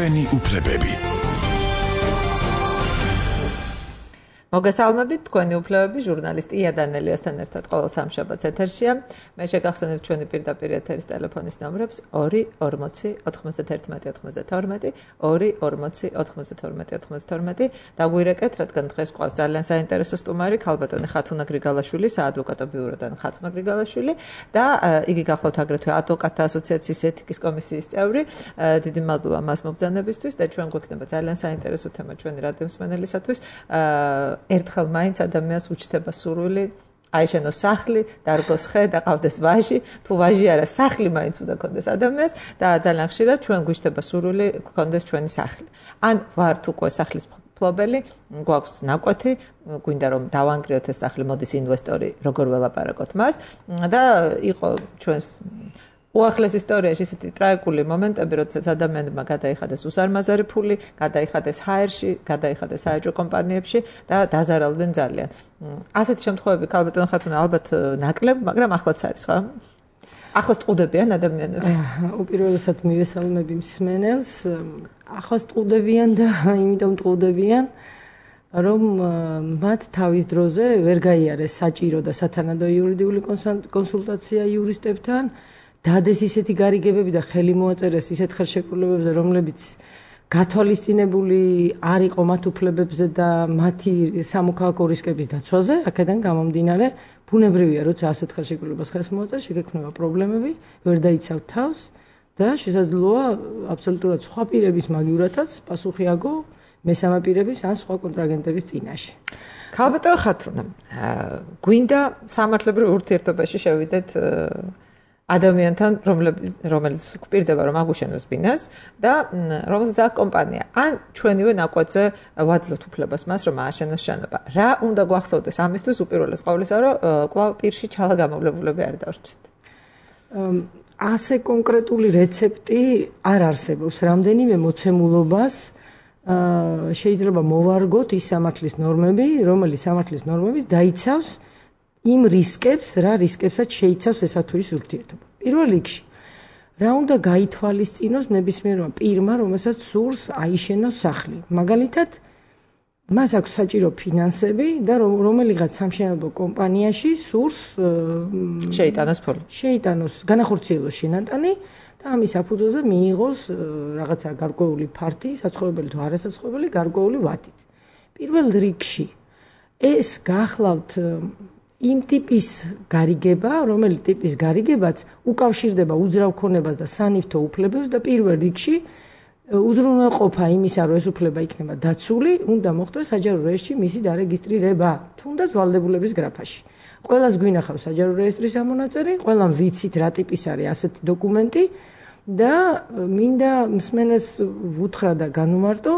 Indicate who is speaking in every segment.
Speaker 1: ჩვენი უფლებები.
Speaker 2: მოგესალმებით, თქვენი უფლებები, ჟურნალისტი ია დანელიასთან ერთად ყოველ სამშაბათს ეთერშია. მე შეგახსენებ ჩვენი პირდაპირ ეთერის ტელეფონის ნომრებს 2-40-91-92, 2-40-92-92. დაგვირეკეთ, რადგან დღეს გვყავს ძალიან საინტერესო სტუმარი, ქალბატონი ხათუნა გრიგალაშვილი, საადვოკატო ბიუროდან ხათუნა გრიგალაშვილი და იგი გახლავთ აგრეთვე ადვოკატთა ასოციაციის ეთიკის კომისიის წევრი. დიდი მადლობა მას მობრძანებისთვის და ჩვენ გვექნება ძალიან საინტერესო თემა ჩვენი რადიო მსმენელისათვის. ერთხელ მაინც ადამიანს უჩნდება სურვილი აიშენოს სახლი, დარგოს ხე და ყავდეს ვაჟი, თუ ვაჟი არა, სახლი მაინც უნდა ქონდეს ადამიანს და ძალიან ხშირად ჩვენ გვიჩნდება სურვილი ქონდეს ჩვენი სახლი. ან ვართ უკვე სახლის მფლობელი, გვაქვს ნაკვეთი, გვინდა რომ დავანგრიოთ ეს სახლი, მოდის ინვესტორი, როგორ ველაპარაკოთ მას და იყო ჩვენს უახლეს ისტორიაში ისეთი ტრაგიკული მომენტები, როდესაც ადამიანებმა გადაიხადეს უზარმაზარი ფული, გადაიხადეს ჰაერში, გადაიხადეს საეჭვო კომპანიებში და დაზარალდნენ ძალიან. ასეთი შემთხვევები ქალბატონ ხათუნა ალბათ ნაკლებ, მაგრამ ახლაც არის, ხო? ახლოს ტყუდებიან ადამიანები.
Speaker 3: უპირველესად მივესალმები მსმენელს. ახლოს ტყუდებიან და იმიტომ ტყუდებიან, რომ მათ თავის დროზე ვერ გაიარეს საჭირო და სათანადო იურიდიული კონსულტაცია იურისტებთან. დადეს ისეთი გარიგებები და ხელი მოაწერეს ისეთ ხელშეკრულებებზე, რომლებიც გათვალისწინებული არ იყო მათ უფლებებზე და მათი სამოქალაქო რისკების დაცვაზე, აქედან გამომდინარე, ბუნებრივია, როცა ასეთ ხელშეკრულებას ხელს მოაწერს, შეგექმნება პრობლემები, ვერ დაიცავთ თავს და შესაძლოა აბსოლუტურად სხვა პირების მაგივრათაც პასუხი აგო მესამე პირების ან სხვა კონტრაგენტების წინაშე.
Speaker 2: ქალბატონ ხათუნა, გვინდა სამართლებრივ ურთიერთობაში შევიდეთ ადამიანთან, რომელიც გვპირდება რომ აგუშენოს ბინას და რომელსაც აქვს კომპანია. ან ჩვენივე ნაკვეთზე ვაძლევთ უფლებას მას რომ ააშენოს შენობა. რა უნდა გვახსოვდეს ამისთვის უპირველეს ყოვლისა, რომ კვლავ პირში ჩალა გამოვლებულები არ დარჩეთ?
Speaker 3: ასე კონკრეტული რეცეპტი არ არსებობს. რამდენიმე მოცემულობას შეიძლება მოვარგოთ ის სამართლის ნორმები, რომელიც სამართლის ნორმების დაიცავს იმ რისკებს, რა რისკებსაც შეიცავს ესა თუ ის ურთიერთობა. პირველ რიგში, რა უნდა გაითვალისწინოს ნებისმიერმა პირმა, რომელსაც სურს აიშენოს სახლი. მაგალითად, მას აქვს საჭირო ფინანსები და რომელიღაც სამშენებლო კომპანიაში სურს
Speaker 2: შეიტანოს ფული.
Speaker 3: შეიტანოს, განახორციელოს შენატანი და ამის საფუძველზე მიიღოს რაღაცა გარკვეული ფართი, საცხოვრებელი თუ არასაცხოვრებელი, გარკვეული ვადით. პირველ რიგში, ეს გახლავთ იმ ტიპის გარიგება, რომელი ტიპის გარიგებაც უკავშირდება უძრავ ქონებას და სანიფთო უფლებებს და პირველ რიგში უზრუნველყოფა იმისა, რომ ეს უფლება იქნება დაცული, უნდა მოხდეს საჯარო რეესტრში მისი დარეგისტრირება, თუნდაც ვალდებულების გრაფაში. ყველას გვინახავს საჯარო რეესტრის ამონაწერი, ყველამ ვიცით რა ტიპის არის ასეთი დოკუმენტი და მინდა მსმენელს ვუთხრა და განუმარტო,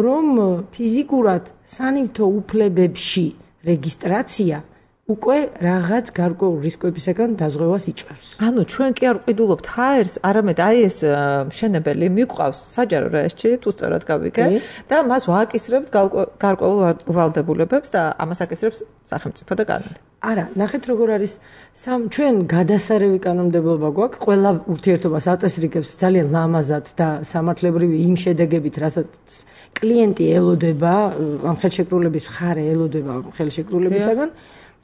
Speaker 3: რომ ფიზიკურად სანიფთო უფლებებში რეგისტრაცია უკვე რაღაც გარკვეულ რისკებისგან დაზღვევას იწვევს.
Speaker 2: ანუ ჩვენ კი არ ვყიდულობთ ჰაერს, არამედ აი ეს მშენებელი მიგვყავს საჯარო რეესტრში, თუ სწორად გავიგე და მას ვააკისრებთ გარკვეულ ვალდებულებებს და ამას აკისრებს სახელმწიფო და კანონი.
Speaker 3: არა, ნახეთ როგორ არის ჩვენ გადასარევი კანონმდებლობა გვაქვს, ყველა ურთიერთობას აწესრიგებს ძალიან ლამაზად და სამართლებრივი იმ შედეგებით, რასაც კლიენტი ელოდება, ამ ხელშეკრულების მხარე ელოდება ამ ხელშეკრულებისაგან.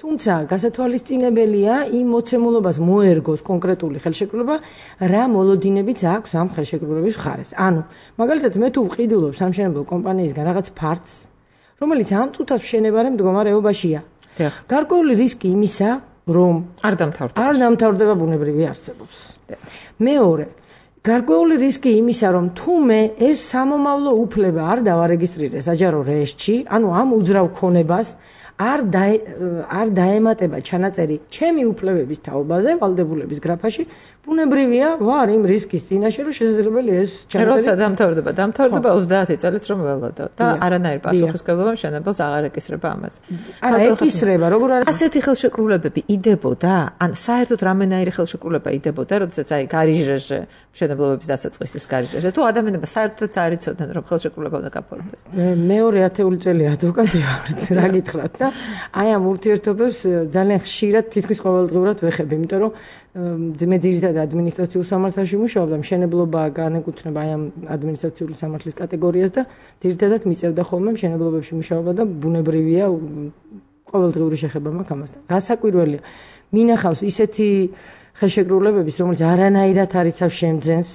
Speaker 3: თუმცა გასათვალისწინებელია იმ მოცემულობას მოერგოს კონკრეტული ხელშეკრულება, რა მოლოდინებიც აქვს ამ ხელშეკრულების მხარეს. ანუ, მაგალითად, მე თუ ვყიდულობ სამშენებლო კომპანიისგან რაღაც ფართს, რომელიც ამ წუთას მშენებარე მდგომარეობაშია. გარკვეული რისკი იმისა, რომ
Speaker 2: არ
Speaker 3: დამთავრდება ბუნებრივი არსებობს. მეორე, გარკვეული რისკი იმისა, რომ თუ მე ეს სამომავლო უფლება არ დავარეგისტრირე საჯარო რეესტრში, ანუ ამ უძრავ ქონებას არ დაემატება ჩანაწერი ჩემი უფლებების თაობაზე, ვალდებულების გრაფაში, ბუნებრივია ვარ იმ რისკის წინაშე, რომ შესაძლებელია ეს
Speaker 2: ჩანაწერი. როცა დამთავრდება 30 წელით რომ ველოდო და არანაირ პასუხისმგებლობა მშენებელს აღარ ეკისრება ამაზე.
Speaker 3: არა, ეკისრება, როგორ არის?
Speaker 2: ასეთი ხელშეკრულებები იდებოდა, ან საერთოდ რამენაირი ხელშეკრულება იდებოდა, როდესაც აი გარიჟეზე მშენებლობების დასაწყისის გარეშე. თუ ადამიანები საერთოდ არ იცოდნენ, რომ ხელშეკრულება უნდა გაფორმდეს.
Speaker 3: მეორე 10 წელი ადვოკატი ვარ, რა გითხრათ და აი ამ ურთიერთობებს ძალიან ხშირად თითქმის ყოველდღურად ვეხები, იმიტომ რომ მე ძირითადად ადმინისტრაციულ სამართალში მუშაობ და მშენებლობა განეკუთვნება აი ამ ადმინისტრაციული სამართლის კატეგორიას და ძირითადად მიწევდა ხოლმე მშენებლობებში მუშაობა და ბუნებრივია ყოველდღიური შეხება მაქვს ამასთან. რა საკვირველია, მინახავს ისეთი ხელშეკრულებების, რომელიც არანაირად არ იცავს შემძენს.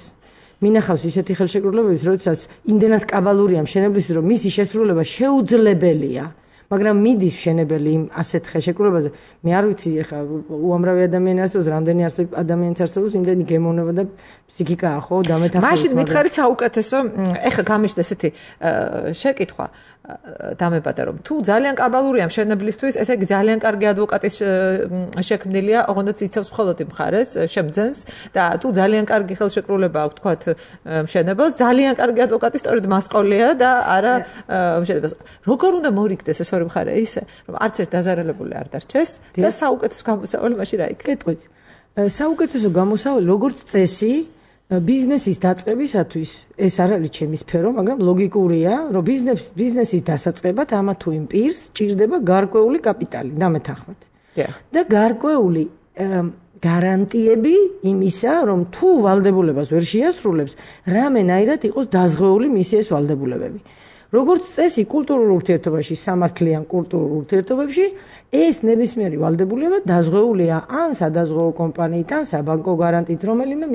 Speaker 3: მინახავს ისეთი ხელშეკრულებების, როდესაც იმდენად კაბალურია მშენებლისთვის, რომ მისი შესრულება შეუძლებელია. მაგრამ მიდის მშენებელი იმ ასეთ ხელშეკრულებაზე. მე არ ვიცი, ეხლა უამრავი ადამიანი არსებობს, რამდენი ადამიანიც არსებობს, იმდენი გემოვნება და ფსიქიკაა, ხო, დამეთანხმებით.
Speaker 2: მაშინ მითხარით საუკეთესო, ეხლა გამიშდა ესეთი შეკითხვა დამებადა, რომ თუ ძალიან კაბალურია მშენებლისთვის, ესე იგი ძალიან კარგი ადვოკატის შექმნილია, ოღონდაც იცავს მხოლოდ იმ მხარეს, შემძენს და თუ ძალიან კარგი ხელშეკრულება აქვს, თქვათ, მშენებელს, ძალიან კარგი ადვოკატი სწორედ მასყოლია და არა მშენებელს. როგორ უნდა მორიგდეს ეს ორი მხარე ისე, რომ არც ერთ დაზარალებული არ დარჩეს და საუკეთესო გამოსავალი მაშინ რა იქნება?
Speaker 3: კეთყვით. საუკეთესო გამოსავალი როგორც წესი ბიზნესის დაწყებისათვის ეს არ არის ჩემი სფერო, მაგრამ ლოგიკურია, რომ ბიზნესის დასაწყებად ამა თუ იმ პირს ჭირდება გარკვეული კაპიტალი, დამეთანხმებით. და გარკვეული გარანტიები იმისა, რომ თუ ვალდებულებას ვერ შეასრულებს, რამენაირად იყოს დაზღვეული მისი ეს ვალდებულებები. როგორც წესი კულტურულ ურთიერთობაში, სამართლიან კულტურულ ურთიერთობებში ეს ნებისმიერი ვალდებულება დაზღვეულია ან სადაზღვეო კომპანიით, ან საბანკო გარანტიით, რომელიმე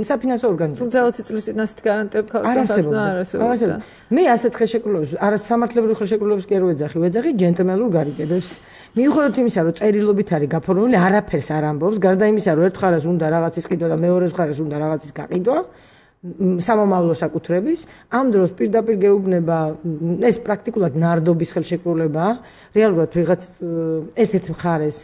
Speaker 3: საფინანსო ორგანიზაციით.
Speaker 2: თუმცა 20 წლის წინ ასეთ გარანტიები არ
Speaker 3: არსებობდა. მე ასეთ ხელშეკრულებებს, არა სამართლებრივ ხელშეკრულებებს კი არ ვეძახი ჯენტლმენურ გარიგებებს. მიუხედავად იმისა, რომ წერილობით არის გაფორმებული, არაფერს არ ამბობს, გარდა იმისა, რომ ერთ მხარეს უნდა რაღაცის ყიდვა და მეორე მხარეს უნდა რაღაცის გაყიდვა. სამომავლო საკუთრების ამ დროს პირდაპირ გეუბნება ეს პრაქტიკულად ნარდობის ხელშეკრულებაა რეალურად ვიღაც ერთ-ერთ მხარეს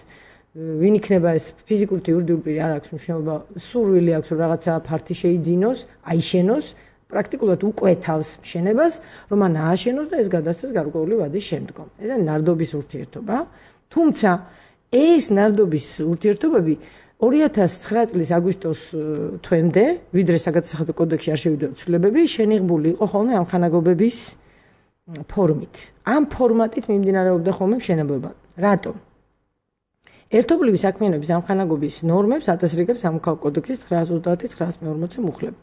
Speaker 3: ვინ იქნება ეს ფიზიკური თუ იურიდიული პირი არ აქვს მნიშვნელობა სურვილი აქვს რომ რაღაცა ფართი შეიძინოს აიშენოს პრაქტიკულად უკვეთავს მშენებას რომ ან ააშენოს და ეს გადასცეს გარკვეული ვადის შემდგომ ეს არის ნარდობის ურთიერთობა თუმცა ეს ნარდობის ურთიერთობები 2009 წლის აგვისტოს თვემდე, ვიდრე საგადასახადო კოდექსში არ შევიდა ცვლილებები, შენიღბული იყო ხოლმე ამ ხანაგობების ფორმით. ამ ფორმატით მიმდინარეობდა ხოლმე მშენებლობა. რატომ? ერთობლივი საქმიანობის ამ ხანაგობის ნორმებს აწესრიგებს სამოქალაქო კოდექსის 930-940 მუხლები.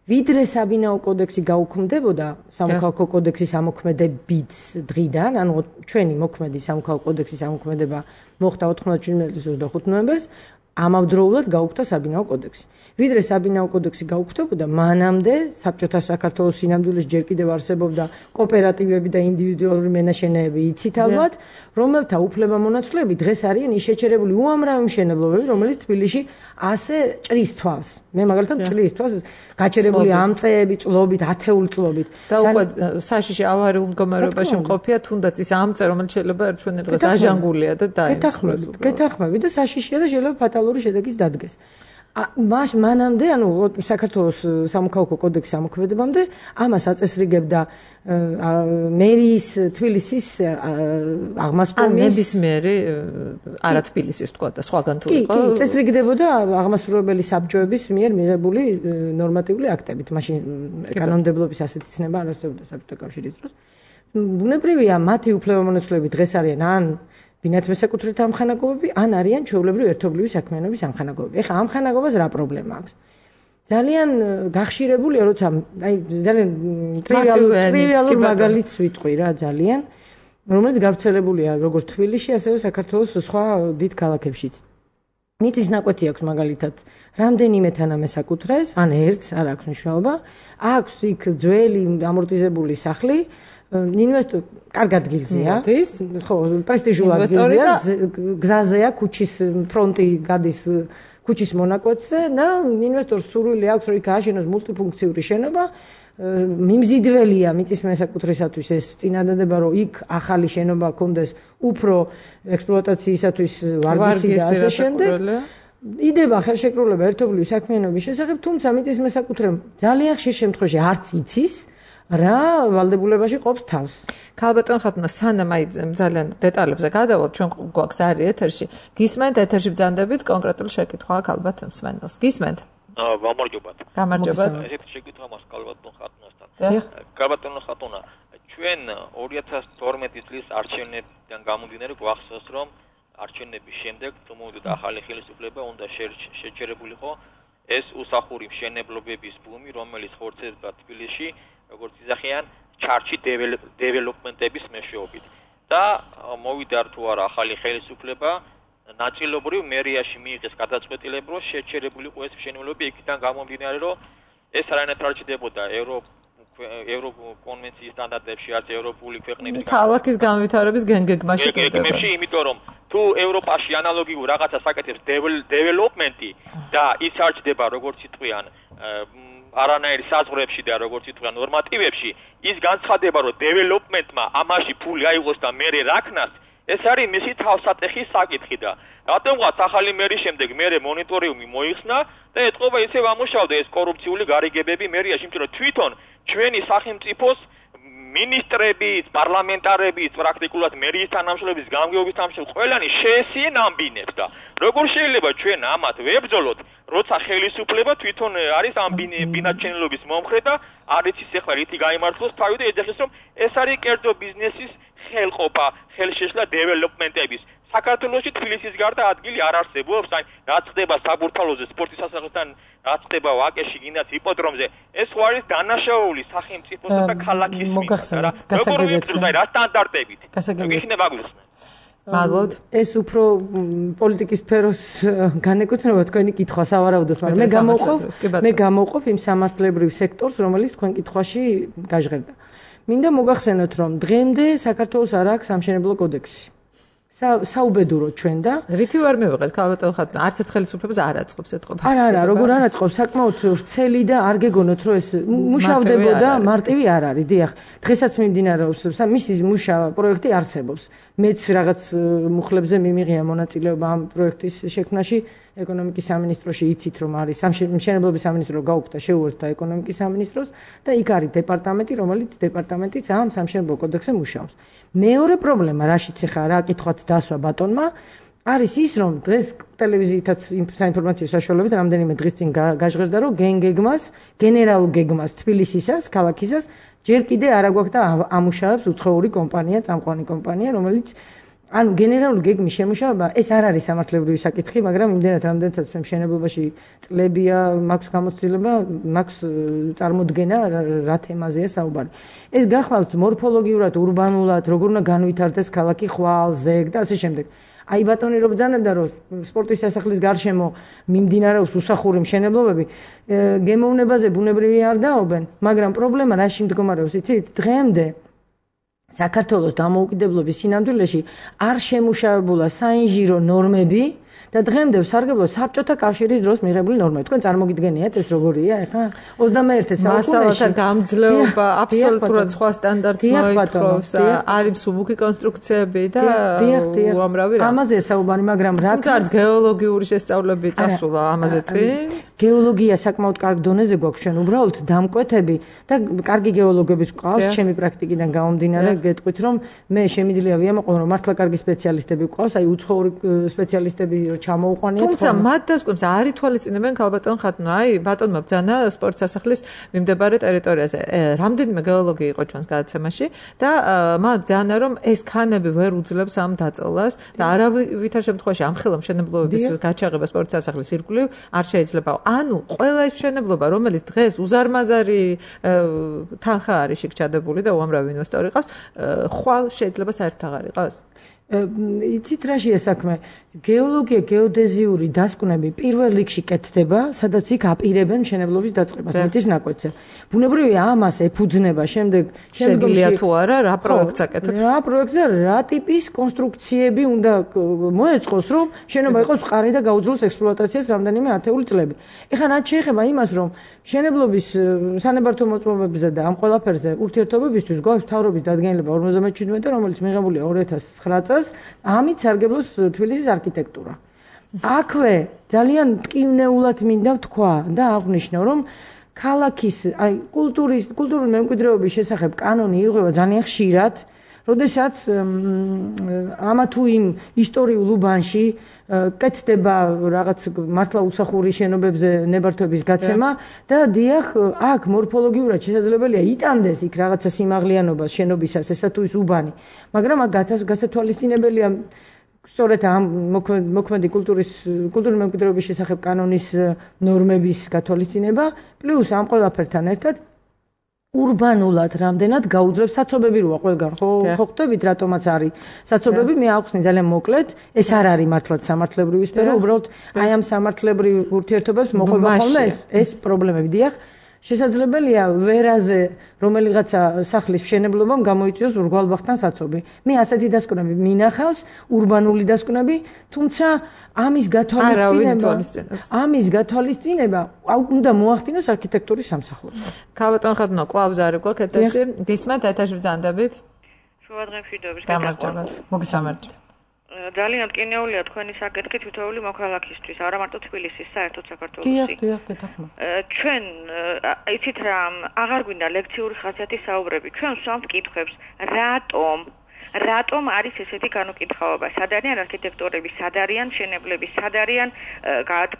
Speaker 3: ვიდრე საბინაო კოდექსი გაუქმდებოდა სამოქალაქო კოდექსის ამოქმედებით დღიდან, ანუ ჩვენი მოქმედი სამოქალაქო კოდექსის ამოქმედება მოხდა 97 წლის 25 ნოემბერს, ამავდროულად გაუქმდა საბინაო კოდექსი. ვიდრე საბინაო კოდექსი გაუქმდებოდა, მანამდე საბჭოთა საქართველოს სინამდვილეს ჯერ კიდევ არსებობდა კოოპერატივები და ინდივიდუალური მენაშენეები იცით ალბათ, რომელთა უფლებამონაცვლეები დღეს არიან ის შეჩერებული უამრავი მშენებლობები, რომელიც თბილისში ასე ჭრის თვალს. მე მაგალითად ჭრის თვალს გაჩერებული ამ წეები წლობით, ათეული წლობით.
Speaker 2: და უკვე საშიში ავარიულ მდგომარეობაში მყოფია, თუნდაც ის ამ წე, რომელიც შეიძლება ერთგვარად დღეს დაჟანგულია და დაიმსხვრეს.
Speaker 3: გეთანხმები და საშიშია და შეიძლება ფატალური შედეგიც დადგეს. მანამდე, ანუ საქართველოს სამოქალაქო კოდექსის ამოქმედებამდე ამას აწესრიგებდა მერიის თბილისის აღმასრულებელი
Speaker 2: ნებისმიერი არა თბილისის თქვა და სხვაგან თუ იყო.
Speaker 3: კი, წესრიგდებოდა აღმასრულებელი საბჭოების მიერ მიღებული ნორმატიული აქტებით. მაშინ კანონმდებლობის ასეთი ცნება არ არსებობდა საბჭოთა კავშირის დროს. ბუნებრივია, მათი უფლებამონაცვლეები დღეს არიან ან ბინათ მესაკუთრეთა ამხანაგობები, ან არიან ჩვეულებრივი ერთობლივი საქმიანობის ამხანაგობები. ეხლა ამხანაგობას რა პრობლემა აქვს? ძალიან გახშირებულია, როცა აი ძალიან ტრივიალურ მაგალითს ვიტყვი რა ძალიან, რომელიც გავრცელებულია როგორც თბილისში, ასევე საქართველოს სხვა დიდ ქალაქებშიც. მიწის ნაკვეთი აქვს მაგალითად რამდენიმე თანამესაკუთრეს, ან ერთს არ აქვს მნიშვნელობა, აქვს იქ ძველი ამორტიზებული სახლი, ინვესტორი კარგ ადგილზეა, ხო, პრესტიჟულ ადგილზეა, გზაზეა, ქუჩის ფრონტი გადის ქუჩის მონაკვეთზე და ინვესტორს სურვილი აქვს, რომ იქ ააშენოს მულტიფუნქციური შენობა, მიმზიდველია მიწის მესაკუთრისათვის ეს წინადადება, რომ იქ ახალი შენობა კონდეს უფრო ექსპლუატაციისათვის ვარგისი და ასე შემდეგ. იდება ხელშეკრულება ერთობლივი საქმიანობის შესახებ, თუმცა მიწის მესაკუთრემ ძალიან ხშირ შემთხვევაში არც იცის რა ვალდებულებაში ყოფს თავს.
Speaker 2: ქალბატონ ხათუნა, სანამ აი ძალიან დეტალებზე გადავალთ, ჩვენ გვაქვს არის ეთერში. გისმენთ ეთერში ბრძანდებით კონკრეტული შეკითხვა ქალბატონ მსმენელს. გისმენთ?
Speaker 1: გამარჯობათ.
Speaker 2: გამარჯობათ.
Speaker 1: ესეთი შეკითხვა მაქვს კალბატონ ხატუნასთან.
Speaker 2: დიახ.
Speaker 1: კალბატონ ხატუნა, ჩვენ 2012 წლის არჩევნებიდან გამომდინარე გვახსოვს, რომ არჩევნების შემდეგ თუ მოვიდოთ ახალი ხელისუფლება უნდა შეჩერებულიყო ეს უსახური მშენებლობების ბუმი, რომელიც ხორცდება თბილისში, როგორც იზახიან, ჩარჩი დეველოპმენტების მეშვეობით. და მოვიდა თუ არა ახალი ხელისუფლება, ნაწილობრივ მერიაში მიიღეს გადაწყვეტილება, რომ შეჩერებულიყო ეს მშენებლობები, იქიდან გამომდინარე, რომ ეს არანაირად არ ჭდებოდა ევროკონვენციის სტანდარტებში, არც ევროპული ქვეყნების
Speaker 2: ქალაქის განვითარების გენგეგმაში
Speaker 1: გენგეგმებში, იმიტომ რომ თუ ევროპაში ანალოგიურ რაღაცა საკეთებს დეველოპმენტი და ის არ ჭდება, როგორც იტყვიან, არანაირ საზღვრებში და როგორც ითქვა ნორმატივებში, ის განცხადება, რომ დეველოპმენტმა ამაში ფული აიღოს და მერე რაქნას, ეს არის მისი თავსატეხის საკითხი და რატომღაც ახალი მერის შემდეგ მერე მონიტორინგი მოიხსნა და ეთყობა ისევ ამუშავდა ეს კორუფციული გარიგებები მერიაში, იმიტომ რომ თვითონ ჩვენი სახელმწიფოს მინისტრების, პარლამენტარების, პრაქტიკულად მერიის თანამშრომლების, გამგეობის თანამშრომლების ყველანი შეესიენ ამბინებს და როგორ შეიძლება ჩვენ ამათ ვებრძოლოთ, როცა ხელისუფლება თვითონ არის ამ ბინაჩენილობის მომხრე და არ იცის ახლა რითი გაიმართლოს თავი და ეძახის რომ ეს არის კერძო ბიზნესის ხელყოფა, ხელშეშლა დეველოპმენტების. საქართველოში თბილისის გარდა ადგილი არ არსებობს, აი რაც ხდება საბურთალოზე სპორტის სასახლესთან, რაც ხდება ვაკეში, გინდათ იპოდრომზე, ეს ხო არის დანაშაული სახელმწიფოსა და ქალაქის
Speaker 3: მოგახსენებთ, გასაგებია,
Speaker 1: რა სტანდარტებით. იქნება გვიხსნა.
Speaker 2: მადლობთ.
Speaker 3: ეს უფრო პოლიტიკის სფეროს განეკუთვნება თქვენი კითხვა სავარაუდოდ, მაგრამ მე გამოვყოფ იმ სამართლებრივ სექტორს, რომელიც თქვენ კითხვაში გაჟღერდა. მინდა მოგახსენოთ, რომ დღემდე საქართველოს არ აქვს სამშენებლო კოდექსი. საუბედუროთ ჩვენ და
Speaker 2: რითი ვარ მივიღეთ კალბატონ ხატუნა, არც ერთ ხელისუფლებას არ აწყობს ეთყობა.
Speaker 3: არა, როგორ არ აწყობს, საკმაოდ ვრცელი და არ გეგონოთ, რომ ეს მუშავდებოდა, მარტივი არ არის. დიახ, დღესაც მიმდინარეობს, მისი მუშა პროექტი არსებობს. მეც რაღაც მუხლებზე მიმიღია მონაწილეობა ამ პროექტის შექმნაში. ეკონომიკის სამინისტროში იცით, რომ არის სამშენებლობის სამინისტრო გაუქმდა, შეუერთდა ეკონომიკის სამინისტროს და იქ არის დეპარტამენტი, რომელიც დეპარტამენტიც ამ სამშენებლო კოდექსზე მუშაობს. მეორე პრობლემა, რაშიც ახლა რა კითხვაც დასვა ბატონმა, არის ის, რომ დღეს ტელევიზიითაც საინფორმაციო საშუალებებით რამდენიმე დღის წინ გაჟღერდა, რომ გენერალურ გეგმას თბილისისას, ქალაქისას ჯერ კიდე არ აგვაქვს და ამუშავებს უცხოური კომპანია, წამყვანი კომპანია, რომელიც ანუ გენერალური გეგმის შემუშავება ეს არ არის სამართლებრივი საკითხი, მაგრამ იმდენად რამდენადაც მშენებლობაში წლებია, მაქვს გამოცდილება, მაქვს წარმოდგენა რა თემაზეა საუბარი. ეს გახლავთ მორფოლოგიურად, ურბანულად, როგორ უნდა განვითარდეს ქალაქი ხვალ, ზეგ და ასე შემდეგ. აი ბატონი რო ბრძანებდა, რომ სპორტის სასახლის გარშემო მიმდინარეობს უსახური მშენებლობები, გემოვნებაზე ბუნებრივი არ დაობენ, მაგრამ პრობლემა რაში მდგომარეობს, იცით? დღემდე საქართველოს დამოუკიდებლობის სინამდვილეში არ შემუშავებულა საინჟირო ნორმები და დღემდე სარგებლობს საბჭოთა კავშირის დროს მიღებული ნორმები. თქვენ წარმოგიდგენიათ ეს როგორია ახლა 21 საუკუნეში
Speaker 2: მასალათა გამძლეობა აბსოლუტურად სხვა სტანდარტს მოითხოვს, არის მსუბუქი კონსტრუქციები და უამრავი რა.
Speaker 3: ამაზეა საუბარი, მაგრამ რა
Speaker 2: თუმცა გეოლოგიური შესწავლები წასულა ამაზე წინ.
Speaker 3: გეოლოგია საკმაოდ კარგ დონეზე გვაქვს ჩვენ უბრალოდ დამკვეთები და კარგი გეოლოგებიც გვყავს ჩემი პრაქტიკიდან გამომდინარე გეტყვით რომ მე შემიძლია ვიამაყო რომ მართლა კარგი სპეციალისტები გვყავს აი უცხოური სპეციალისტები რომ ჩამოუყვანიათ
Speaker 2: თუმცა მათ დასკვნებს არ ითვალისწინებენ კალბატონ ხატუნა აი ბატონმა ბძანა სპორტ სასახლის მიმდებარე ტერიტორიაზე რამდენიმე გეოლოგი იყო ჩვენს გადაცემაში და მათ ბძანა რომ ეს ქანები ვერ უძლებს ამ დაწოლას და არავითარ შემთხვევაში ამ ხელა მშენებლობების გაჩაღება სპორტ სასახლის ირგვლივ არ შეიძლება ანუ ყველა ეს მშენებლობა რომელიც დღეს უზარმაზარი თანხა არის შეგჩადებული და უამრავი ინვესტორი ყავს ხვალ შეიძლება საერთოდ აღარ იყოს
Speaker 3: იცით რაშია საქმე გეოლოგია გეოდეზიური დასკვნები პირველ რიგში კეთდება სადაც იქ აპირებენ მშენებლობის დაწყებას მიწის ნაკვეთზე ბუნებრივია ამას ეფუძნება
Speaker 2: შემდგომში თუ არა რა პროექტს აკეთებს
Speaker 3: რა პროექტზე რა ტიპის კონსტრუქციები უნდა მოეწყოს რომ შენობა იყოს მყარი და გაუძლოს ექსპლუატაციას რამდენიმე ათეული წლები ეხლა რაც შეეხება იმას რომ მშენებლობის სანებართო მოწმობებზე და ამ ყველაფერზე ურთიერთობებისთვის გვაქვს მთავრობის დადგენილება 57 რომელიც მიღებულია 2009 წელს ამით სარგებლობს თბილისის არქიტექტურა. აქვე ძალიან მტკივნეულად მინდა ვთქვა და აღვნიშნო, რომ ქალაქის კულტურული მემკვიდრეობის შესახებ კანონი იღება ძალიან ხშირად, როდესაც ამა თუ იმ ისტორიულ უბანში კეთდება რაღაც მართლა უსახური შენობებზე ნებართვების გაცემა და დიახ, აქ მორფოლოგიურად შესაძლებელია იტანდეს იქ რაღაცა სიმაღლიანობას შენობისას, ესა თუ ის უბანი, მაგრამ აქ გასათვალისწინებელია სწორედ ამ მოქმედი კულტურული მემკვიდრეობის შესახებ კანონის ნორმების გათვალისწინება, პლუს ამ ყველაფერთან ერთად урбанულად რამდენად გაუძლებს საცობები როა ყველგან ხო ხვდებით რატომაც არის საცობები მე ავხსნი ძალიან მოკლედ ეს არ არის მართლაც სამართლებრივი სფერო უბრალოდ აი ამ სამართლებრივ ურთიერთობებს მოყვება ხოლმე ეს პრობლემები დიახ შესაძლებელია ვერაზე რომელიღაცა სახლის მშენებლობამ გამოიწვიოს ურგვალბახთან საცობი მე ასეთი დასკვნები მინახავს урბანული დასკვნები თუმცა ამის გათვალისწინება უნდა მოახდინოს არქიტექტურის სამსახურს
Speaker 2: ქალბატონ ხადნო კლავს არის გვაქვს ეთერში გისმენთ ეთერში ბრძანდებით
Speaker 4: შუადღემშვიდობის
Speaker 2: გამარჯობა მოგესალმებით
Speaker 4: ძალიან მტკინეულია თქვენი საკითხი თითოეული მოქალაქისთვის, არა მარტო თბილისის, საერთოდ საქართველოს.
Speaker 3: დიახ, გეთახმა.
Speaker 4: ჩვენ იცით რა, აღარ გვინდა ლექციური ხასიათის საუბრები. ჩვენ ვსვამთ კითხვებს, რატომ არის ესეთი განუკითხაობა? სად არიან არქიტექტორები, სად არიან მშენებლები, სად არიან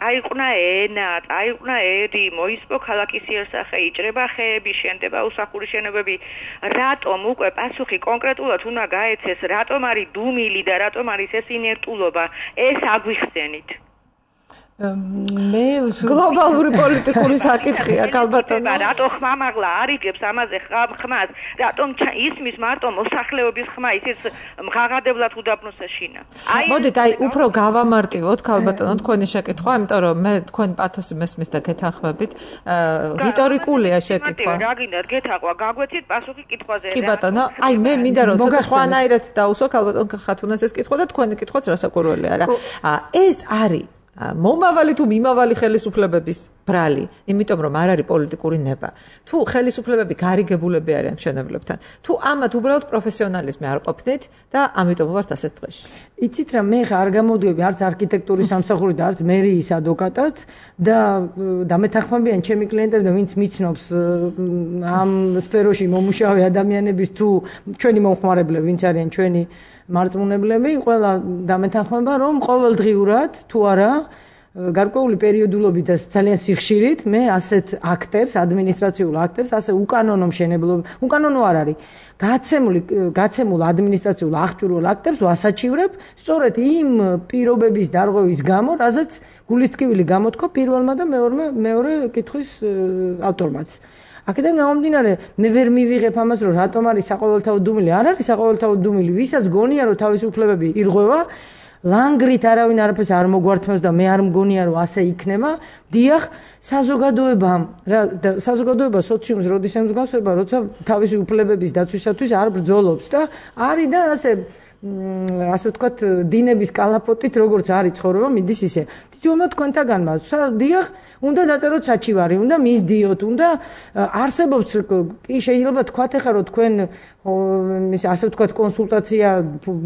Speaker 4: აიყונה ენა, აიყונה ერი, მოისპო ქალაქის იერსახე, იჭრება ხეები, შენდება უსახური შენობები. რატომ უკვე პასუხი კონკრეტულად უნდა გაეცეს, რატომ არის დუმილი და რატომ არის ეს ინერტულობა? ეს აგვიხსენით.
Speaker 3: მე
Speaker 2: გლობალური პოლიტიკური საკითხია ქალბატონო
Speaker 4: რატო ხმამაღლა არიგებს ამაზე ხმას რატომ ისმის მარტო მოსახლეობის ხმა ისიც მღაღადებლად უდაბნოს ეშინა
Speaker 2: მოდით აი უფრო გავამარტივოთ ქალბატონო თქვენი შეკითხვა იმიტომ რომ მე თქვენი პათოსი მესმის და გეთანხმებით რიტორიკულია შეკითხვა
Speaker 4: რა გინდათ გეთახვა გაგვეცით პასუხი კითხვაზე
Speaker 2: კი ბატონო აი მე მინდა რომ ცოტა სხვანაირად დაუსვა ქალბატონ ხათუნას ეს კითხვა და თქვენი კითხვაც რასაკვირველია რა ეს არის მომავალი თუ მიმავალი ხელისუფლებების ბრალი, იმიტომ რომ არ არის პოლიტიკური ნება. თუ ხელისუფლებები გარიგებულები არიან მშენებლებთან, თუ ამათ უბრალოდ პროფესიონალიზმი არ ყოფნით და ამიტომ ვართ ასეთ დღეში.
Speaker 3: იცით რა, მე არ გამოდიები არც არქიტექტურის სამსახური და არც მერიის ადვოკატად და დამეთანხმებიან ჩემი კლიენტები და ვინც მიცნობს ამ სფეროში მომუშავე ადამიანების თუ ჩვენი მომხმარებლები, ვინც არიან ჩვენი მარწმუნებლები, ყველა დამეთანხმება, რომ ყოველდღიურად თუ არა გარკვეული პერიოდულობით და ძალიან სიხშირით მე ასეთ აქტებს, ადმინისტრაციულ აქტებს, ასე უკანონო მშენებლობა, უკანონო არ არის. გაცემულ ადმინისტრაციულ აღჭურვილ აქტებს ვასაჩივრებ სწორედ იმ პირობების დარღვევის გამო, რაზეც გულისტკივილი გამოთქვა პირველმა და მეორე კითხვის ავტორმაც. აქედან გამომდინარე, მე ვერ მივიღებ ამას, რომ რატომ არის საყოველთაო დუმილი. არ არის საყოველთაო დუმილი, ვისაც გონია, რომ თავისუფლებები ირღვევა, ლანგრით არავინ არაფერს არ მოგვართმევს და მე არ მგონია, რომ ასე იქნება. დიახ, საზოგადოება სოციუმს როდის ემსგავსება, როცა თავისი უფლებების დაცვისათვის არ ბრძოლობს და არის და ასე ვთქვათ, დინების კალაპოტით როგორც არის ცხოვრება, მიდის ისე. თითოეულმა თქვენთაგანმა, დიახ, უნდა დაწეროთ საჩივარი, უნდა მისდიოთ, უნდა არსებობს, კი შეიძლება თქვათ ახლა რომ თქვენ ასე ვთქვათ, კონსულტაცია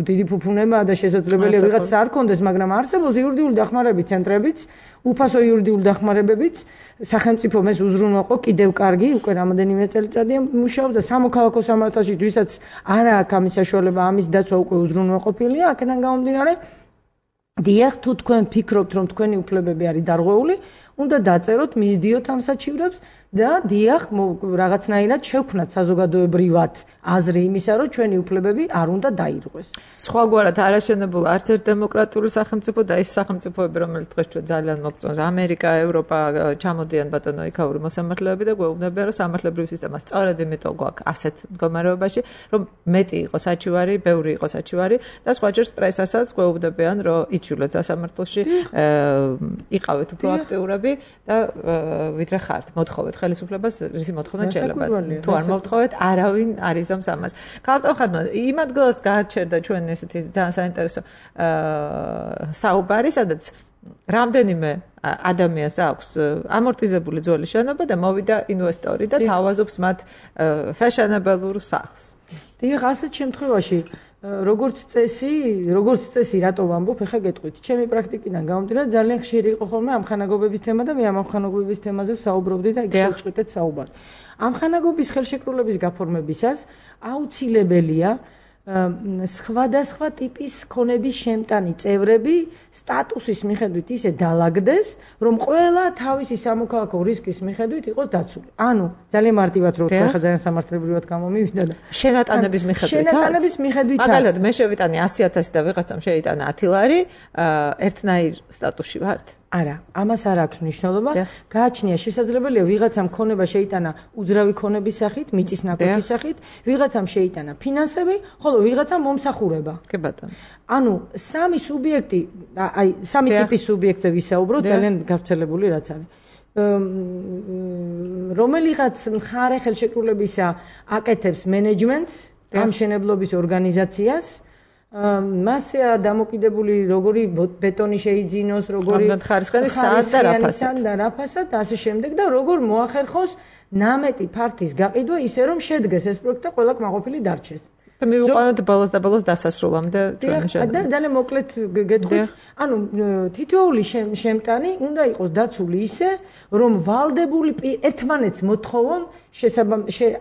Speaker 3: დიდი ფუფუნებაა და შესაძლებელია ვიღაც არ კონდეს, მაგრამ არსებობს იურიდიული დახმარების ცენტრებიც, უფასო იურიდიული დახმარებებიც, სახელმწიფო ეს უზრუნველყო კიდევ კარგი, უკვე რამოდენიმე წელიწადია მუშაობს და სამოქალაქო სამართალში ვისაც არ აქვს ამის საშუალება, ამის დაცვა უკვე უზრუნველყოფილია, აქედან გამომდინარე, დიახ, თუ თქვენ ფიქრობთ, რომ თქვენი უფლებები არის დარღვეული, უნდა დაწეროთ, მისდიოთ ამ საჩივრებს და დიახ, რაღაცნაირად შევქმნათ საზოგადოებრივად აზრი იმისა, რომ ჩვენი უფლებები არ უნდა დაირღვეს.
Speaker 2: სხვაგვარად არაშენებულ არც ერთ დემოკრატიული სახელმწიფო და ის სახელმწიფოები, რომელიც დღეს ჩვენ ძალიან მოგწონს, ამერიკა, ევროპა, ჩამოდიან ბატონო იქაური მოსამართლეები და გვეუბნებიან, რომ სამართლებრივი სისტემა სწორედ იმიტომ გვაქვს ასეთ მდგომარეობაში, რომ მეტი იყოს საჩივარი, ბევრი იყოს საჩივარი და სხვაჯერს პრესასაც გვეუბნებიან, რომ იჩივლეთ სასამართლოში, იყავით უფრო აქტიურები და ვიდრე ხართ, მოთხოვეთ ხელისუფლებას რის მოთხოვნა შეიძლება. თუ არ მოთხოვეთ, არავინ არ იზამს ამას. ქალბატონ ხადნო, იმ ადგილას გააჩერდა ჩვენ ესეთი ძალიან საინტერესო საუბარი, სადაც რამდენიმე ადამიანს აქვს ამორტიზებული ძველი შენობა და მოვიდა ინვესტორი და თავაზობს მათ ფეშენებელურ სახლს.
Speaker 3: დიახ, ასეთ შემთხვევაში როგორც წესი რატო ვამბობ, ეხა გეტყვით. ჩემი პრაქტიკიდან გამომდინარე, ძალიან ხშირი იყო ხოლმე ამხანაგობების თემა და მე ამ ამხანაგობების თემაზე ვსაუბრობდი და იქ შევწყვეტეთ საუბარი. ამხანაგობის ხელშეკრულების გაფორმებისას აუცილებელია სხვადასხვა ტიპის ქონების შემტანი წევრები სტატუსის მიხედვით ისე დაალაგდეს, რომ ყველა თავისი სამოქალაქო რისკის მიხედვით იყოს დაცული. ანუ ძალიან მარტივად რო ვთქვა, ხა ძალიან სამართლებრივად გამომივიდა და
Speaker 2: შენატანების მიხედვითაც. მაგალითად, მე შევიტანე 100,000 და ვიღაცამ შეიტანა 10 ლარი, ერთნაირ სტატუსში ვართ?
Speaker 3: არა, ამას არ აქვს მნიშვნელობა. გააჩნია შესაძლებელია ვიღაცამ ქონება შეიტანა უძრავი ქონების სახით, მიწის ნაკვეთის სახით, ვიღაცამ შეიტანა ფინანსები, ხოლო ვიღაცამ მომსახურება.
Speaker 2: კი ბატონო.
Speaker 3: ანუ სამი სუბიექტი, აი, სამი ტიპის სუბიექტზე ვისაუბროთ, ძალიან გავრცელებული რაც არის. რომელიღაც მხარე ხელშეკრულებისა აკეთებს მენეჯმენტს, გამშენებლობის ორგანიზაციას, მასია დამოკიდებული როგორი ბეტონი შეიძინოს, როგორი
Speaker 2: ხარისხანი სად
Speaker 3: და რაფასად და ასე შემდეგ და როგორ მოახერხოს ნამეტი ფართის გაყიდვა ისე რომ შედგეს ეს პროექტი და ყველა კმაყოფილი დარჩეს.
Speaker 2: და მივიყვანოთ ბოლოს და ბოლოს დასასრულამდე ჩვენი შედეგი.
Speaker 3: და ძალიან მოკლედ გეტყვით, ანუ თითოეული შემტანი უნდა იყოს დაცული ისე, რომ ვალდებული ერთმანეთს მოთხოვონ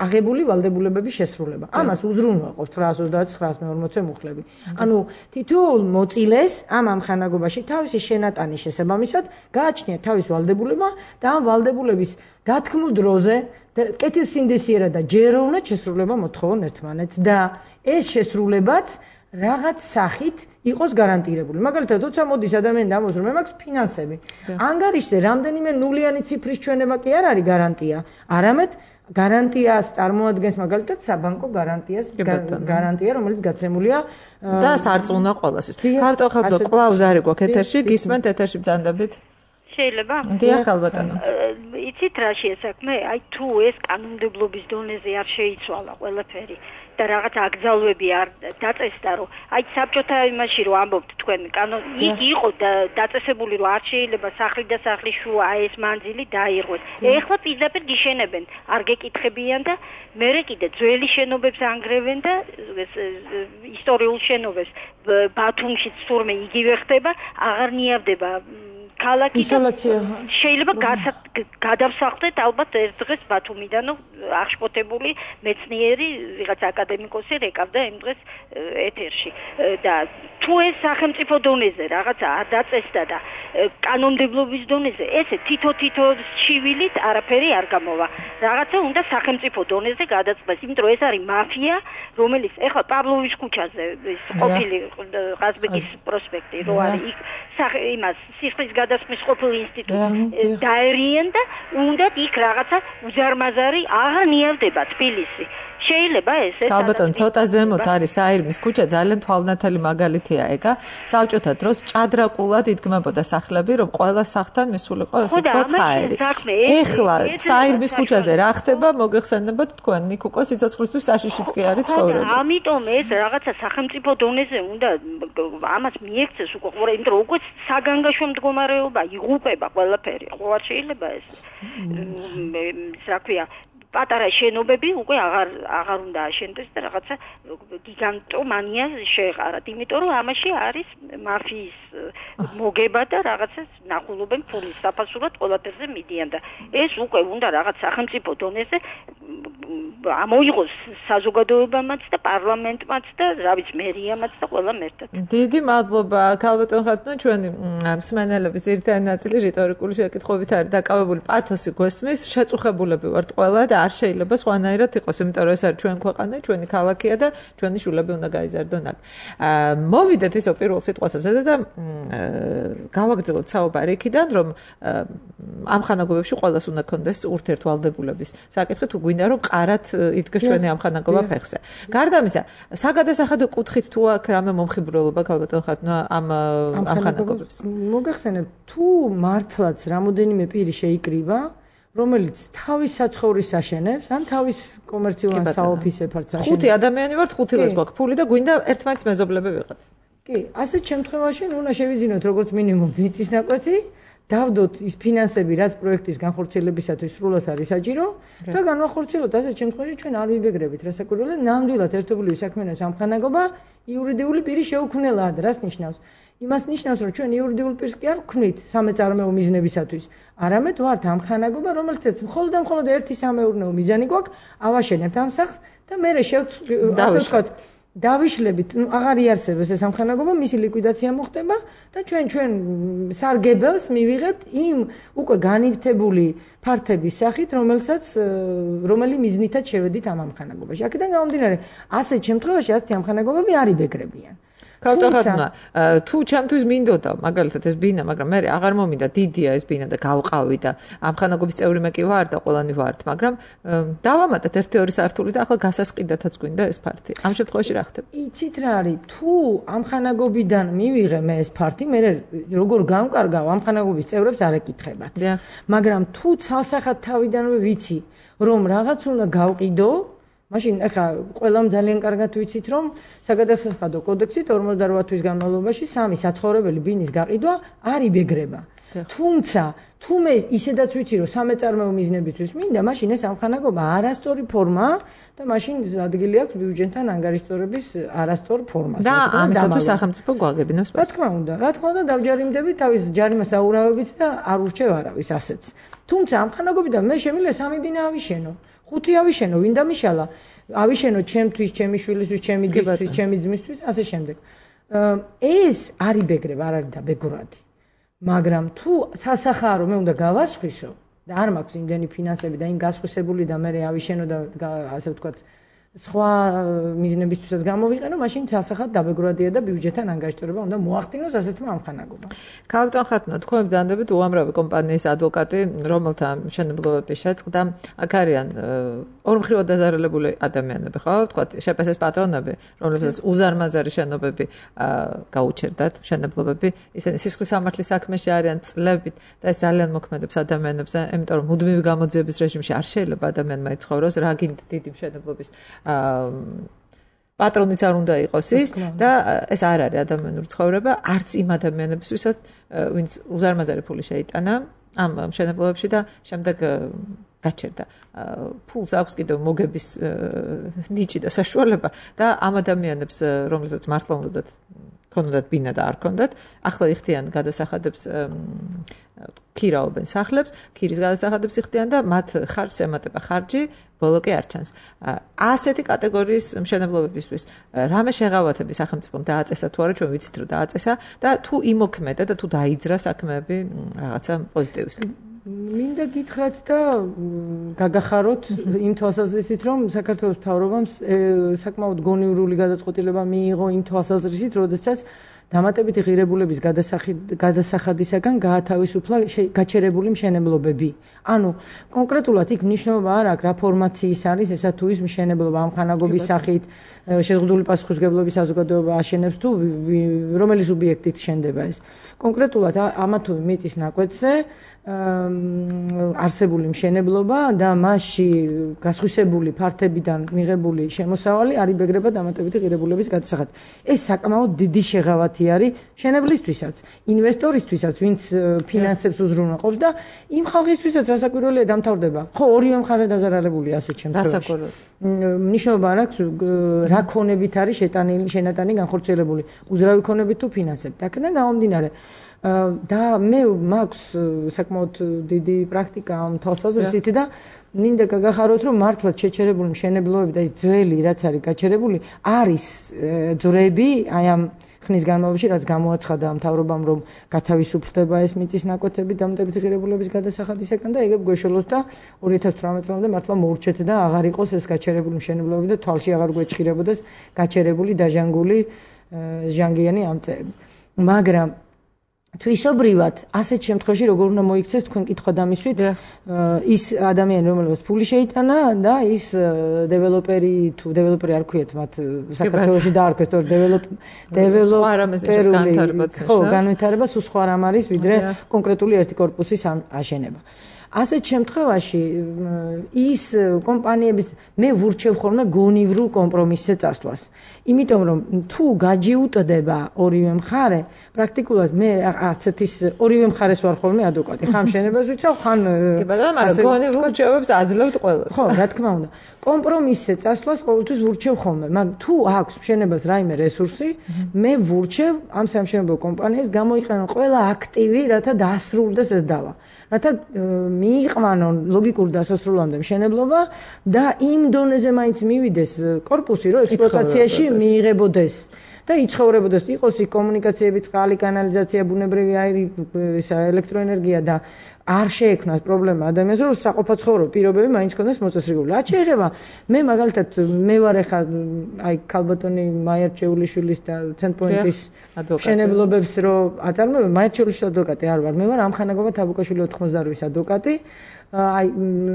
Speaker 3: აღებული ვალდებულებების შესრულება. ამას უზრუნველყოფთ 929-940 მუხლები. ანუ თითოეულ მოწილეს ამ ამხანაგობაში თავისი შენატანის შესაბამისად გააჩნია თავის ვალდებულება და ამ ვალდებულების დათქმულ დროზე კეთილსინდისიერად და ჯეროვნად შესრულება მოთხოვონ ერთმანეთს და ეს შესრულებაც რაღაც სახით იყოს გარანტირებული. მაგალითად, როცა მოდის ადამიანი და ამბობს, რომ მე მაქვს ფინანსები, ანგარიშზე რამდენიმე ნულიანი ციფრის ჩვენება კი არ არის გარანტია, არამედ გარანტიას წარმოადგენს მაგალითად საბანკო გარანტია, რომელიც გაცემულია
Speaker 2: და სარწმუნოა ყველასთვის. ხარტო ხალხო კლავს არის გვაქვს ეთერში, გისმენთ ეთერში ბრძანდებით.
Speaker 4: შეიძლება?
Speaker 2: დიახ, ალბათო.
Speaker 4: იცით რა შეესაქმე? აი თუ ეს კანონმდებლობის დონეზე არ შეიცვალა ყველაფერი და რაღაც აკრძალვები არ დაწესდა, რომ აი საბჭოთა იმაში რომ ამბობთ თქვენ იქ იყო დაწესებული რომ არ შეიძლება სახლი და სახლის შუა ეს მანძილი დაირღვეთ. ეხლა პირდაპირ გიშენებენ, არ გეკითხებიან და მერე კიდე ძველი შენობებს ანგრევენ და ისტორიულ შენობებს ბათუმშიც თურმე იგივე ხდება, აღარ ნიავდება ქალაქი შეიძლება გადავსახლდეთ ალბათ ერთ დღეს ბათუმიდან აღშფოთებული მეცნიერი ვიღაც აკადემიკოსი რეკავდა იმ დღეს ეთერში და თუ ეს სახელმწიფო დონეზე რაღაცა არ დაწესდა და კანონმდებლობის დონეზე ესე თითო შივილით არაფერი არ გამოვა რაღაცა უნდა სახელმწიფო დონეზე გადაწყდეს იმიტომ რომ ეს არის მაფია რომელიც ეხლა პავლოვის ქუჩაზე ის ყოფილი ყაზბეგის პროსპექტი რო არის იქ იმას სიხლის გადასხმის ყოფილ ინსტიტუტი დაერიან და უნდა იქ რაღაცა უზარმაზარი აღარ ნიავდება თბილისი შეიძლება ეს
Speaker 2: ალბათონ ცოტა ზემოთ არის საირმის ქუჩა ძალიან თვალნათელი მაგალითია ეგა საბჭოთა დროს ჭადრაკულად იდგმებოდა სახლები რომ ყველა სახლთან მისულიყო ესე ვთქვათ ჰაერი ეხლა საირმის ქუჩაზე რა ხდება მოგეხსენებათ თქვენ ნიკუკო სიცოცხლისთვის საშიშიც კი არის ცხოვრება
Speaker 4: ამიტომ ეს რაღაცა სახელმწიფო დონეზე უნდა ამას მიექცეს უკვე ყურე იმიტომ რომ უკვე საგანგაშო მდგომარეობა იღუპება ყველაფერი ხო არ შეიძლება ეს რა ქვია პატარა შენობები უკვე აღარ უნდა აშენდეს და რაღაცა გიგანტომანია შეეყარათ, იმიტომ რომ ამაში არის მაფიის მოგება და რაღაცა ნახულობენ ფულის საფასურად ყველაფერზე მიდიან და ეს უკვე უნდა რაღაც სახელმწიფო დონეზე ამოიღოს საზოგადოებამაც და პარლამენტმაც და რა ვიცი მერიამაც და ყველამ ერთად.
Speaker 2: დიდი მადლობა ქალბატონ ხატუნო ჩვენი მსმენელების ძირითადი ნაწილი რიტორიკული შეკითხვებით არის დაკავებული პათოსი გვესმის შეწუხებულები ვართ ყველა და არ შეიძლება სხვანაირად იყოს, იმიტომ რომ ეს არის ჩვენ ქვეყანა, ჩვენი ქალაქია და ჩვენი შულები უნდა გაიზარდონ აქ. მოვიდეთ ისო პირველ სიტყვასაც და გავაგრძელოთ საუბარი იქიდან, რომ ამ ხანაგობებში ყველას უნდა კონდეს ურთიერთვალდებულების საკითხი, თუ გვინდა რომ ყარად იდგეს ჩვენი ამ ხანაგობა ფეხზე. გარდა ამისა, საგადასახადო კუთხით თუ აქ რამე მომხიბვლელობა ქალბატონ ხატუნო ამ ხანაგობებს.
Speaker 3: მოგახსენებთ, თუ მართლაც რამოდენიმე პირი შეიკრიბა რომელიც თავის საცხოვრისს აშენებს, ან თავის კომერციულ ან საოფისე ფართს აშენებს.
Speaker 2: ხუთი ადამიანი ვართ, ხუთი დღეს გვაქვს ფული და გვინდა ერთმანეთს მეზობლები ვიყოთ.
Speaker 3: კი, ასეთ შემთხვევაში უნდა შევიძინოთ როგორც მინიმუმ მიწის ნაკვეთი, დავდოთ ის ფინანსები, რაც პროექტის განხორციელებისათვის სრულად არის საჭირო და განვახორციელოთ ასეთ შემთხვევაში ჩვენ არ ვიბეგრებით რასაკვირველია, ნამდვილად ერთობლივი საქმიანობის ამხანაგობა იურიდიული პირი შეუქმნელაა და რას ნიშნავს? იმას ნიშნავს, რომ ჩვენ იურიდიულ პირს კი არ ვქმნით სამეწარმეო მიზნებისათვის, არამედ ვართ ამხანაგობა, რომელთაც მხოლოდ და მხოლოდ ერთი სამეურნეო მიზანი გვაქვს, ავაშენებთ ამ სახლს და მერე ასე ვთქვათ, დავიშლებით, აღარ იარსებებს ეს სამხანაგობა, მისი ლიკვიდაცია მოხდება და ჩვენ სარგებელს მივიღებთ იმ უკვე განივთებული ფართების სახით, რომელი მიზნითაც შევედით ამ ამხანაგობაში. აქედან გამომდინარე, ასეთ შემთხვევაში ასეთი ამხანაგობები არ იბეგრებიან.
Speaker 2: ქავთახატუნა, თუ ჩემთვის მინდოდა, მაგალითად ეს ბინა, მაგრამ მე აღარ მომინდა დიდია ეს ბინა და გავყავი და ამხანაგობის წევრი მე კი ვარ და ყველანი ვართ, მაგრამ დავამატეთ 1-2 სართული და ახლა გასასყიდათაც გვინდა ეს ფართი. ამ შემთხვევაში რა ხდება?
Speaker 3: იცით რა არის, თუ ამხანაგობიდან მივიღე მე ეს ფართი, მე როგორ გამკარგავ ამხანაგობის წევრებს არ ეკითხებათ. მაგრამ თუ ცალსახად თავიდანვე ვიცი, რომ რაღაც უნდა გავყიდო, მაშინ ახლა ყველამ ძალიან კარგად ვიცით, რომ საგადასახადო კოდექსით 48 თვის განმავლობაში 3 საცხოვრებელი ბინის გაყიდვა არ იბეგრება. თუმცა თუ მე ისედაც ვიცი, რომ სამეწარმეო მიზნებისთვის მინდა, მაშინ ეს ამხანაგობა არასწორი ფორმაა და მაშინ ადგილი აქვს ბიუჯეტთან ანგარიშწორების არასწორ ფორმას.
Speaker 2: და ამისათვის სახელმწიფო გვაგებინებს
Speaker 3: რა თქმა უნდა, დავჯარიმდები თავის ჯარიმას აურავებით და არ ურჩევ არავის ასეც. თუმცა ამხანაგობიდან მე შემიძლია 3 ბინა ავიშენო. 5 ავიშენო, ვინ დამიშალა? ავიშენო ჩემთვის, ჩემი შვილისთვის, ჩემი დისთვის, ჩემი ძმისთვის, ასე შემდეგ. ეს არ იბეგრება, არ არის დაბეგრადი. მაგრამ თუ სასახარო მე უნდა გავასხვისო და არ მაქვს იმდენი ფინანსები და იმ გასხვისებული და მე ავიშენო და ასე ვთქვათ, სხვა მიზნებისთვისაც გამოვიყენო, მაშინ სასახად დაბეგრადია და ბიუჯეტთან ანგარიშტორება უნდა მოახდინოს ასეთმა ამხანაგობა.
Speaker 2: ქავთახატუნა, თქვენ ბრძანდებით უამრავი კომპანიის ადვოკატი, რომელთა მშენებლობები შეწყდა, აქ არიან ორმხრივად დაზარალებული ადამიანები, ხო? ვთქვათ, შეპესეს პატრონები, რომლებსაც უზარმაზარი შენობები გაუჩერდათ, მშენებლობები, ისინი სისხლის სამართლის საქმეში არიან წლებით და ეს ძალიან მოქმედებს ადამიანებს, იმიტომ რომ მუდმივი გამოძიების რეჟიმში არ შეიძლება ადამიანმა იცხოვროს, რა გინდ დიდი მშენებლობის პატრონიც არ უნდა იყოს ის და ეს არ არის ადამიანური ცხოვრება, არც იმ ადამიანებისთვისაც, ვინც უზარმაზარი ფული შეიტანა ამ მშენებლობებში და შემდეგ გაჩერდა. ფულს აქვს კიდევ მოგების ნიჭი და საშუალება და ამ ადამიანებს, რომლებსაც მართლა უნდათ ბინა და არ ქონდათ, ახლა იხდიან გადასახადებს ქირაობენ სახლებს, ქირის გადასახადებს იხდიან და მათ ხარჯს ემატება ხარჯი, ბოლო კი არ ჩანს. ასეთი კატეგორიის მშენებლობებისთვის რამე შეღავათები სახელმწიფომ დააწესა თუ არა, ჩვენ ვიცით რომ დააწესა და თუ იმოქმედა და თუ დაიძრა საქმეები რაღაცა პოზიტივისკენ.
Speaker 3: მინდა გითხრათ და გაგახაროთ იმ თვალსაზრისით, რომ საქართველოს მთავრობამ საკმაოდ გონივრული გადაწყვეტილება მიიღო იმ თვალსაზრისით, როდესაც დამატებითი ღირებულების გადასახადისაგან გაათავისუფლა გაჩერებული მშენებლობები. ანუ კონკრეტულად იქ მნიშვნელობა არ აქვს რა ფორმაციის არის ესა თუ ის მშენებლობა ამხანაგობის სახით, შეზღუდული პასუხისმგებლობის საზოგადოება აშენებს თუ რომელი სუბიექტით შენდება ეს. კონკრეტულად ამა თუ მიწის ნაკვეთზე არსებული მშენებლობა და მასში გასხვისებული ფართებიდან მიღებული შემოსავალი არ იბეგრება დამატებითი ღირებულების გადასახადით. ეს საკმაოდ დიდი შეღავათი არის მშენებლისთვისაც, ინვესტორისთვისაც, ვინც ფინანსებს უზრუნველყოფს და იმ ხალხისთვისაც რასაკვირველია დამთავრდება. ხო, ორივე მხარე დაზარალებულია ასეთ შემთხვევაში. მნიშვნელობა არ აქვს რა ქონებით არის შენატანი განხორციელებული, უძრავი ქონებით თუ ფინანსებით. აქედან გამომდინარე და მე მაქვს საკმაოდ დიდი პრაქტიკა ამ თვალსაზრისით და მინდა გაგახაროთ, რომ მართლაც შეჩერებული მშენებლობები და ის ძველი რაც არის გაჩერებული არის ძვრები აი ამ ხნის განმავლობაში, რაც გამოაცხადა მთავრობამ, რომ გათავისუფლდება ეს მიწის ნაკვეთები დამატებითი ღირებულების გადასახადისაგან და ეგებ გვეშველოს და 2018 წლამდე მართლა მოურჩეთ და აღარ იყოს ეს გაჩერებული მშენებლობები და თვალში აღარ გვეჭირებოდეს გაჩერებული დაჟანგული ჟანგიანი ამწეები. მაგრამ თვისობრივად ასეთ შემთხვევაში როგორ უნდა მოიქცეს თქვენ კითხვა დამისვით ის ადამიანი რომელსაც ფული შეიტანა და ის დეველოპერი თუ დეველოპერი არ ქვიათ მათ საქართველოში დაარქვეს თორე დეველოპერული ხო განვითარება სულ სხვა რამ არის ვიდრე კონკრეტული ერთი კორპუსის აშენება. ასეთ შემთხვევაში ის კომპანიების მე ვურჩევ ხოლმე გონივრულ კომპრომისზე წასვლას. იმიტომ რომ თუ გაჯიუტდება ორივე მხარე, პრაქტიკულად მე არც ერთის ორივე მხარეს ვარ ხოლმე ადვოკატი. ხან შენებას ვიცავ, ხან
Speaker 2: გონივრულ რჩევებს აძლევთ ყველას.
Speaker 3: ხო, რა თქმა უნდა. კომპრომისზე წასვლას ყოველთვის ვურჩევ ხოლმე, მაგრამ თუ აქვს შენებას რაიმე რესურსი, მე ვურჩევ ამ სამშენებლო კომპანიებს გამოიყენონ ყველა აქტივი, რათა დაასრულდეს ეს დავა. რათა მიიყვანონ ლოგიკურ დასასრულამდე მშენებლობა და იმ დონეზე მაინც მივიდეს корпуსი, რომ ექსპლუატაციაში მიიღებოდეს. და იცხოვრებოდეს, იყოს იქ კომუნიკაციები, წყალი, კანალიზაცია, ბუნებრივი აირი, ელექტროენერგია და არ შეექმნას პრობლემა ადამიანს, რომ საყოფაცხოვრო პირობები მაინც კონდეს მოწესრიგებული. რაც შეეხება, მე მაგალითად მე ვარ ახლა აი ქალბატონი მაიარჩეულიშვილის და ცენტრპოინტის მშენებლობებს რო აწარმოებ, მაიარჩეულიშვილის ადვოკატი არ ვარ, მე ვარ ამხანაგობა თაბუკაშვილი 88-ის ადვოკატი. აი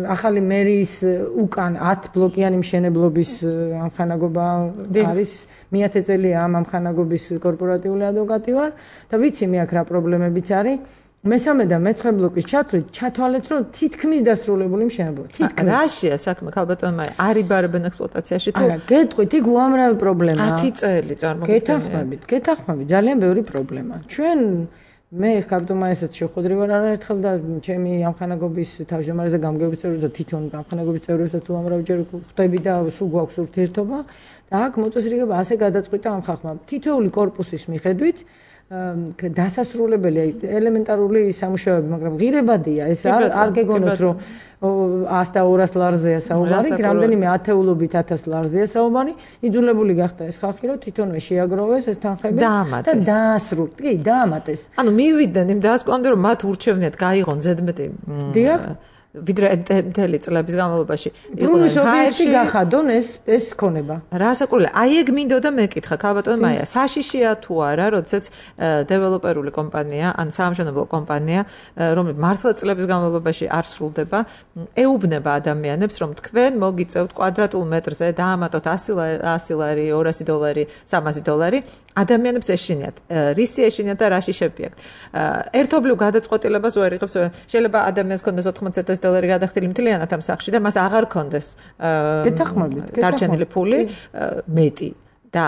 Speaker 3: ახალი მერიის უკან 10 ბლოკიანი მშენებლობის ამხანაგობა არის მე-10 წელია ამ ამხანაგობის კორპორატიული ადვოკატი ვარ და ვიცი მე აქ რა პრობლემებიც არის მესამე და მეცხრე ბლოკის ჩათვლით ჩათვალეთ რომ თითქმის დასრულებული მშენებლობა თითქმის
Speaker 2: რაშია საქმე ქალბატონმა არიბარებენ ექსპლუატაციაში თუ
Speaker 3: არა გეტყვით იქ უამრავი პრობლემაა
Speaker 2: 10 წელი წარმოგიდგენიათ
Speaker 3: გეთახმებით ძალიან ბევრი პრობლემა ჩვენ მე ხაბდომა ესეც შეხვედრი ვარ არაერთხელ და ჩემი ამხანაგობის თავმჯდომარეზე გამგეობის წევრებს და თვითონ ამხანაგობის წევრებსაც უამრავჯერ ხვდები და სულ გვაქვს ურთიერთობა და აქ მოწესრიგება ასე გადაწყვიტა ამ ხალხმა თითოეული корпуსის მიხედვით დასასრულებელი ელემენტარული სამუშაოები მაგრამ ღირებადია ეს არ გეგონოთ რომ 100 და 200 ლარზეა საუბარი, რამდენიმე ათეულობით 1000 ლარზეა საუბარი, იძულებული გახდა ეს ხალხი, რომ თვითონვე შეაგროვეს ეს თანხები და დაასრულეთ. კი, დაამატეს.
Speaker 2: ანუ მივიდნენ იმ დასკვამდე, რომ მათ ურჩევნიათ გაიღონ ზედმეტი.
Speaker 3: დიახ.
Speaker 2: ვიდრე მთელი წლების განმავლობაში
Speaker 3: ბრუნვის ობიექტი გახადონ ეს ქონება.
Speaker 2: რა საკურველი, აი ეგ მინდოდა მეკითხა ქალბატონ მაია, საშიშია თუ არა, როდესაც დეველოპერული კომპანია, ან საამშენებლო კომპანია, რომელიც მართლა წლების განმავლობაში არ სრულდება, ეუბნება ადამიანებს, რომ თქვენ მოგიწევთ კვადრატულ მეტრზე დაამატოთ 100 ლარი, 200 დოლარი, 300 დოლარი, ადამიანებს ეშინიათ, რისი ეშინიათ და რაში შეპიათ. ერთობლივ გადაწყვეტილებას ვერ იღებს, შეიძლება ადამიანს ქონდეს 80,000 დოლარი გადახდილი მთლიანად ამ სახში და მას აღარ ქონდეს დარჩენილი ფული მეტი და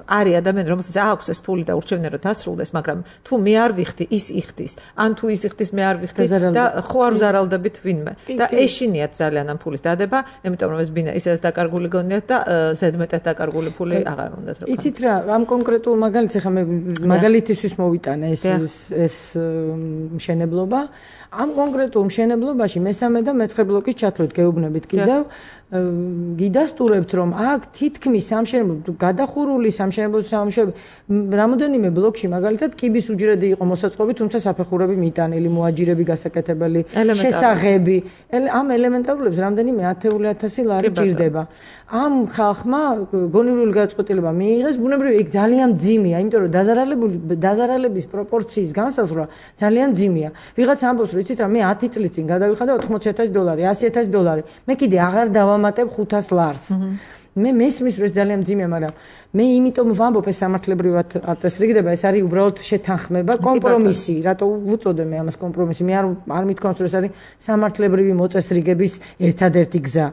Speaker 2: არის ადამიანი რომელსაც აქვს ეს ფული და ურჩევნია რომ დასრულდეს მაგრამ თუ მე არ ვიხდი ის იხდის ან თუ ის იხდის მე არ ვიხდი და ხო არ ვზარალდებით ვინმე და ეშინიათ ძალიან ამ ფულის დადება იმიტომ რომ ეს ბინა ისედაც დაკარგული გონიათ და ზედმეტად დაკარგული ფული აღარ უნდათ რა
Speaker 3: იცით რა ამ კონკრეტულ მაგალითს ახლა მე მაგალითისთვის მოვიტანე ეს მშენებლობა ამ კონკრეტულ მშენებლობაში მესამე და მეცხრე ბლოკის ჩათვლით გეუბნებით კიდევ გიდასტურებთ რომ აქ თითქმის სამშენებლო გადახურული სამშენებლო სამუშაოები რამოდენიმე ბლოკში მაგალითად კიბის უჯრედი იყო მოსაწყობი თუმცა საფეხურები მიტანილი მოაჯირები გასაკეთებელი შესაღები ამ ელემენტარულებს რამდენიმე 10,000 ლარი ჭირდება ამ ხალხმა გონივრული გადაწყვეტილება მიიღეს ბუნებრივი იქ ძალიან ძიმია იმიტომ რომ დაზარალების პროპორციის განსაზღვრა ძალიან ძიმია ვიღაც ამბობს რომ იცით რა მე 10 წლის წინ გადავიხადა 80,000 დოლარი 100,000 დოლარი მე კიდე აღარ დავამატებ 500 ლარს მე მესმის რომ ეს ძალიან ძიმეა მაგრამ მე იმიტომ ვამბობ ეს სამართლებრივად არ წესრიგდება ეს არის უბრალოდ შეთანხმება კომპრომისი რატო ვუწოდე მე ამას კომპრომისი მე არ მithქვამს რომ ეს არის სამართლებრივი მოწესრიგების ერთადერთი გზა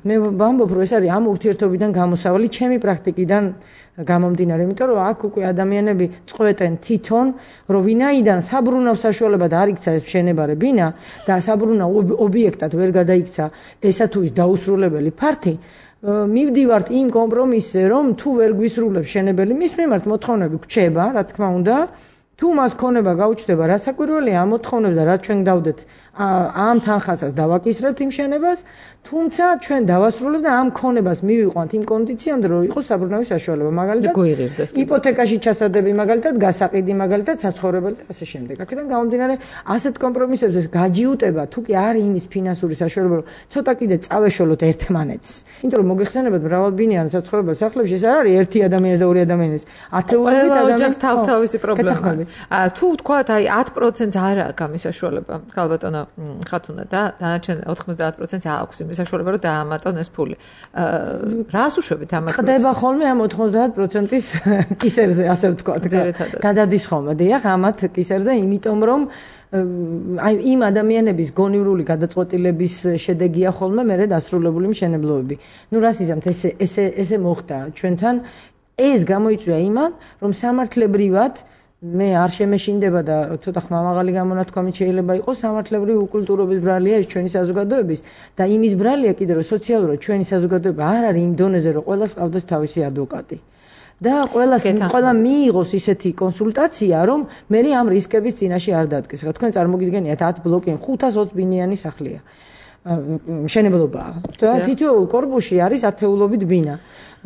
Speaker 3: მე ვამბობ რომ ეს არის ამ ურთიერთობიდან გამოსავალი ჩემი პრაქტიკიდან გამომდინარე, იმიტომ რომ აქ უკვე ადამიანები წყვეტენ თვითონ, რომ ვინაიდან საბრუნავ საშუალება არ იქცა ეს მშენებარე ბინა და საბრუნავ ობიექტად ვერ გადაიქცა ესა თუ ის დაუსრულებელი ფართი, მივდივართ იმ კომპრომისზე, რომ თუ ვერ გვისრულებს მშენებელი, მის მიმართ მოთხოვნები გვჩება, რა თქმა უნდა, თუ მას ქონება გაუჩნდება, რა საკვირველია ამ მოთხოვნებს და რაც ჩვენ დავდეთ ამ თანხასაც დავაკისრებთ იმ შენებას, თუმცა ჩვენ დავასრულებთ და ამ ქონებას მივიყვანთ იმ კონდიციამდე, რომ იყოს საბრუნავი საშუალება, მაგალითად, იპოთეკაში ჩასადები, მაგალითად, გასაყიდი, მაგალითად, საცხოვრებელი და ასე შემდეგ. აქედან გამომდინარე, ასეთ კომპრომისებს ეს გაჯიუტება, თუ კი არის იმის ფინანსური საშუალება, რომ ცოტა კიდე წავეშოლოთ ერთმანეთს. იმიტომ რომ მოგეხსენებათ მრავალბინიანი საცხოვრებელ სახლებში ეს არ არის ერთი ადამიანის და ორი ადამიანის. ათეულობით ადამიანის
Speaker 2: თავთავისი პრობლემაა. თუ თქვათ, აი 10%-ს არ აქვს ამის საშუალება, ქალბატონო ხათუნა და დანარჩენ 90%-ს აქვს იმის საშუალება, რომ დაამატონ ეს ფული. რას უშვებით ამ 10%-ს?
Speaker 3: ხდება ხოლმე ამ 90%-ის კისერზე, ასე ვთქვათ. გადადის ხოლმე, დიახ, ამათ კისერზე, იმიტომ რომ აი იმ ადამიანების გონივრული გადაწყვეტილების შედეგია ხოლმე მერე დასრულებული მშენებლობები. ნუ რას იზამთ, ესე მოხდა ჩვენთან. ეს გამოიწვია იმან, რომ სამართლებრივად მე არ შემეშინდება და ცოტა ხმამაღალი გამონათქვამით შეიძლება იყოს სამართლებრივი უკულტურობის ბრალია ის ჩვენი საზოგადოების და იმის ბრალია კიდე რომ სოციალურად ჩვენი საზოგადოება არ არის იმ დონეზე რომ ყველას ყავდეს თავისი ადვოკატი. და ყველა მიიღოს ისეთი კონსულტაცია, რომ მე ამ რისკების წინაშე არ დადგეს. რა თქვენ წარმოგიდგენიათ 10 ბლოკიან 520 ბინიანი სახლია. მშენებლობაა. და თითოეულ კორპუსში არის ათეულობით ბინა.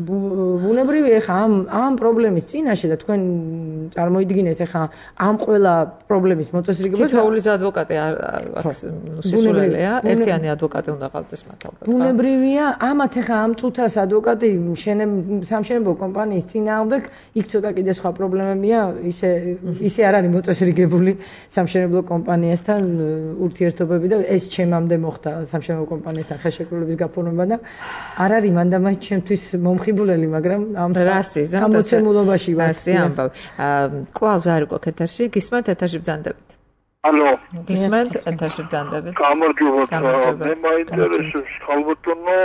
Speaker 3: ბუნებრივი ახლა ამ პრობლემის წინაშე და თქვენ წარმოიდგინეთ ახლა ამ ყველა პრობლემის მოწესრიგებას
Speaker 2: თითოეული ადვოკატი აქვს სისულელეა, ერთიანი ადვოკატი უნდა ყავდეს მათ ალბათ.
Speaker 3: ბუნებრივია, ამათ ახლა ამ წუთას ადვოკატი სამშენებლო კომპანიის წინააღმდეგ იქ ცოტა კიდე სხვა პრობლემებია, ისე არ არის მოწესრიგებული სამშენებლო კომპანიასთან ურთიერთობები და ეს ჩემამდე მოხდა სამშენებლო კომპანიასთან ხელშეკრულების გაფორმება და არ არის მანდამაი ჩემთვის მომხიბვლელი, მაგრამ ამ მოცემულობაში ვარ.
Speaker 2: ასე ამბავ. კვლავ ზარი გვაქვს ეთერში, გისმენთ ეთერში ბრძანდებით.
Speaker 5: ალო.
Speaker 2: გისმენთ ეთერში ბრძანდებით.
Speaker 5: გამარჯობათ. მე მაინტერესებს ხალბატონო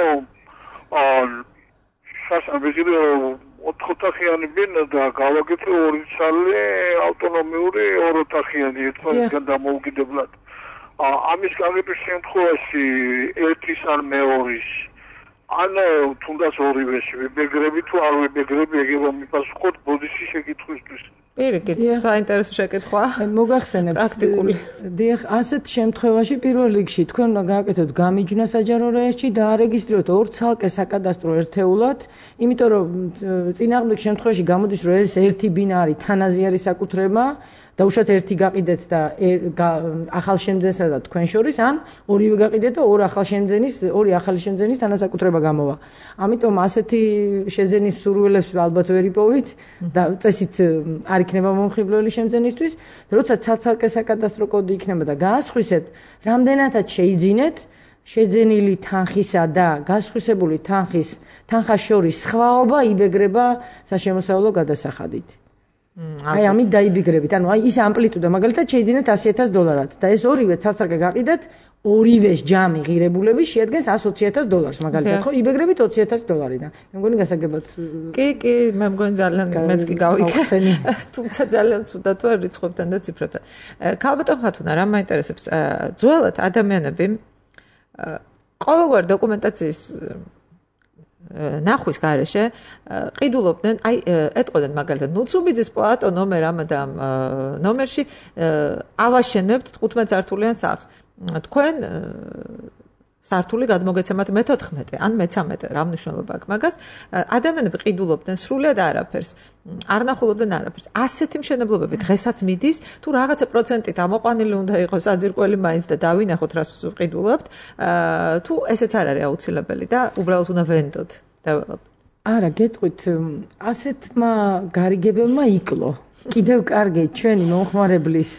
Speaker 5: სასაბეჭდილო 4 ოთახიანი ბინა და გავაკეთე 2 ცალი ავტონომიური 2 ოთახიანი ერთმანეთთან დამოუკიდებლად. ამის გაგების შემთხვევაში ერთის ან მეორის ანუ თუნდაც ორივეს ვიბეგრები თუ არ ვიბეგრები ეგრე მიფასუხოთ ბოდიში შეკითხვისთვის.
Speaker 2: პირიქით, საინტერესო შეკითხვა.
Speaker 3: მოგახსენებთ პრაქტიკული. დიახ, ასეთ შემთხვევაში პირველ რიგში თქვენ უნდა გააკეთოთ გამიჯვნა საჯარო რეესტრში და არეგისტრიროთ 2 ცალკე საკადასტრო ერთეულად, იმიტომ რომ წინააღმდეგ შემთხვევაში გამოდის რომ ეს ერთი ბინა არის თანაზიარი საკუთრება და უშუალოდ ერთი გაყიდეთ და ახალშემძენსა და თქვენ შორის ან ორივე გაყიდეთ და ორი ახალი შემძენის თანასაკუთრება გამოვა. ამიტომ ასეთი შეძენის სურვილებს ალბათ ვერ იპოვით და წესით არ იქნება მომხიბვლელი შემძენისთვის, როცა ცალკე საკადასტრო კოდი იქნება და გაასხვისებთ, რამდენადაც შეიძინეთ შეძენილი თანხისა და გასხვისებული თანხას შორის სხვაობა იბეგრება საშემოსავლო გადასახადით. აი ამით დაიბიგრებით. ანუ აი ის ამპლიტუდა მაგალითად შეიძინეთ $100,000 და ეს ორივე ცალ-ცალკე გაყიდეთ ორივეს ჯამი ღირებულები შეადგენს $120,000 მაგალითად ხო იბეგრებით $20,000-დან. მე მგონი გასაგებად.
Speaker 2: კი, მე მგონი ძალიან მეც კი გავიქცენი. თუმცა ძალიან ცუდად ვარ რიცხვებთან და ციფრებთან. ქალბატონ ხათუნა, რა მაინტერესებს? ძველად ადამიანები ყოველგვარი დოკუმენტაციის ნახვის გარეშე ყიდულობდნენ, აი ეტყოდნენ მაგალითად ნუცუბიძის პლატო ნომერ ამადამ ნომერში ავაშენებთ 15 სართულიან სახლს. თქვენ სართული გადმოგეცემათ მე-14 ან მე-13, რა მნიშვნელობა აქვს მაგას? ადამიანები ყიდულობდნენ სრულად არაფერს, არ ნახულობდნენ არაფერს. ასეთი მშენებლობები დღესაც მიდის, თუ რაღაცა პროცენტით ამოყვანილი უნდა იყოს საძირკველი მაინც და დავინახოთ რას ყიდულობთ, თუ ესეც არ არის აუცილებელი და უბრალოდ უნდა ვენდოთ develop.
Speaker 3: არა, გეტყვით, ასეთმა გარიგებებმა იკლო. კიდევ კარგი ჩვენი მომხმარებლის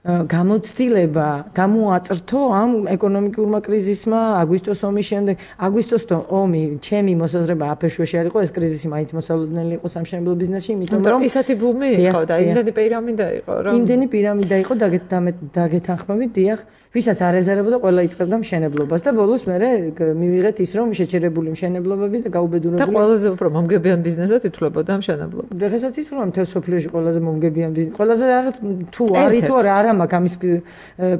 Speaker 3: გამოცდილება გამოაწრთო ამ ეკონომიკურმა კრიზისმა აგვისტოს ომის შემდეგ. აგვისტოს ომი ჩემი მოსაზრება აფერშუაში არ იყო, ეს კრიზისი მაინც მოსალოდნელი იყო სამშენებლო ბიზნესში, იმიტომ რომ
Speaker 2: ისეთი ბუმი იყო და იმდენი პირამიდა იყო, რომ
Speaker 3: იმდენი პირამიდა იყო დაგეთანხმებით, დიახ, ვისაც არ ეზარებოდა, ყველა იწყებდა მშენებლობას და ბოლოს მე მივიღეთ ის, რომ შეჩერებული მშენებლობები და გაუბედურებული
Speaker 2: და ყველაზე უფრო მომგებიან ბიზნესად ითვლებოდა მშენებლობა.
Speaker 3: დღესაც ითვლება მთელ სოფლიოში ყველაზე მომგებიან ბიზნესი. ყველაზე თუ არის თუ არა მაქვს ამის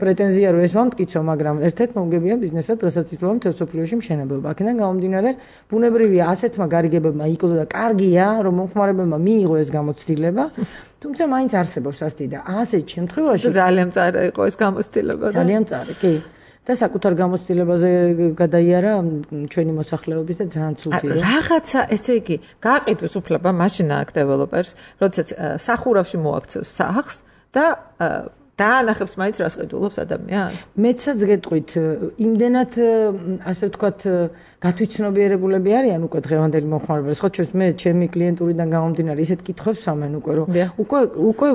Speaker 3: პრეტენზია რომ ეს მომტკიცო, მაგრამ ერთ-ერთ მომგებიან ბიზნესად დღესაც ითვლება მთელ სოფლიოში მშენებლობა. აქედან გამომდინარე, ბუნებრივია ასეთმა გარიგებებმა იკლო და კარგია, რომ მომხმარებელმა მიიღო ეს გამოცდილება. თუმცა მაინც არსებობს ასეთი და ასეთ შემთხვევაში
Speaker 2: ძალიან მწარე იყო ეს გამოცდილება და
Speaker 3: ძალიან მწარე, კი. და საკუთარ გამოცდილებაზე გადაიარა ჩვენი მოსახლეობის და ძალიან ცუდი რა.
Speaker 2: რაღაცა, ესე იგი, გააყიდვის უფლება მაშინ აქვს დეველოპერს, როდესაც სახურავში მოაქცევს სახლს და დაანახებს მაინც რას ყიდულობს ადამიანს.
Speaker 3: მეცაც გეტყვით, იმდენად ასე ვთქვათ, გათვითცნობიერებულები არიან უკვე დღევანდელი მომხმარებლები. ხო, მე ჩემი კლიენტურიდან გამომდინარე ისეთ კითხვებს ვამენ უკვე, რომ უკვე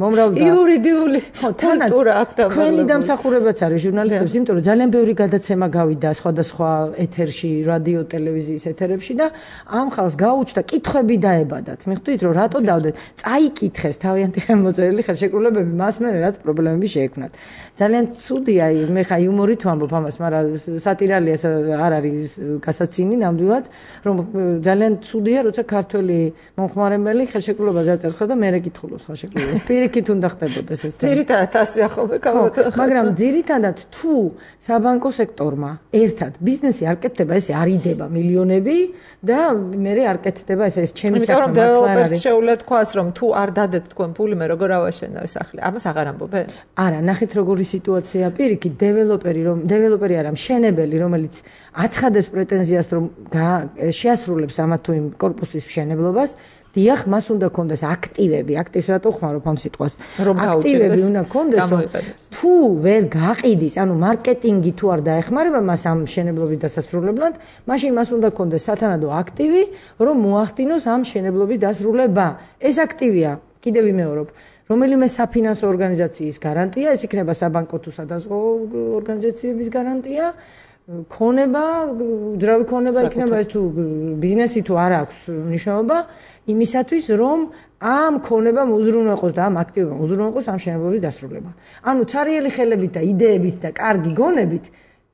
Speaker 3: მომრავლდა იურიდიული კულტურა აქვს და ჩვენი დამსახურებაც არის ჟურნალისტებს, იმიტომ რომ ძალიან ბევრი გადაცემა გავიდა სხვადასხვა ეთერში, რადიო, ტელევიზიის ეთერებში და ამ ხალხს გაუჩნდა კითხვები დაებადათ. მიხვდით, რომ რატო დავდეთ? წაიკითხეს თავიანთი ხელმოწერილი ხელშეკრულებები მას მას მე რაც პრობლემები შეექმნათ. ძალიან ცუდია, მე ხა იუმორით ვამბობ ამას, მაგრამ სატირალია არ არის გასაცინი ნამდვილად, რომ ძალიან ცუდია, როცა ქართველი მომხმარებელი ხელშეკრულებას აწერს და მე რეკითხულობს ხელშეკრულებას. პირიქით უნდა ხდებოდეს ეს.
Speaker 2: ძირითადად ასე ახლა კალბატონი.
Speaker 3: მაგრამ ძირითადად თუ საბანკო სექტორმა ერთად ბიზნესი არ კეთდება, ესე არიდება მილიონები და მე არ კეთდება ეს ჩემი საქმე.
Speaker 2: იმიტომ რომ დეველოპერს შეუძლია თქვას, რომ თუ არ დადეთ თქვენ ფული, მე როგორ ავაშენავ სახლი. ამას აღარ ამბობენ?
Speaker 3: არა, ნახეთ როგორი სიტუაცია პირიქით დეველოპერი არა, მშენებელი, რომელიც აცხადებს პრეტენზიას, რომ შეასრულებს ამა თუ იმ კორპუსის მშენებლობას, დიახ, მას უნდა კონდეს აქტივები, აქტივს რატო ხმარობ ამ სიტყვას? აქტივები უნდა კონდეს, რომ თუ ვერ გაყიდის, ანუ მარკეტინგი თუ არ დაეხმარება მას ამ მშენებლობის დასასრულებლად, მაშინ მას უნდა კონდეს სათანადო აქტივი, რომ მოახდინოს ამ მშენებლობის დასრულება. ეს აქტივია, კიდევ ვიმეორებ, რომელიმე საფინანსო ორგანიზაციის გარანტია, ეს იქნება საბანკო თუ სადაზღვო ორგანიზაციების გარანტია. ქონება, უძრავი ქონება იქნება ეს თუ ბიზნესი თუ არ აქვს მნიშვნელობა იმისათვის, რომ ამ ქონებამ უზრუნველყოს და ამ აქტივობამ უზრუნველყოს ამ მშენებლობის დასრულება. ანუ ცარიელი ხელებით და იდეებით და კარგი გონებით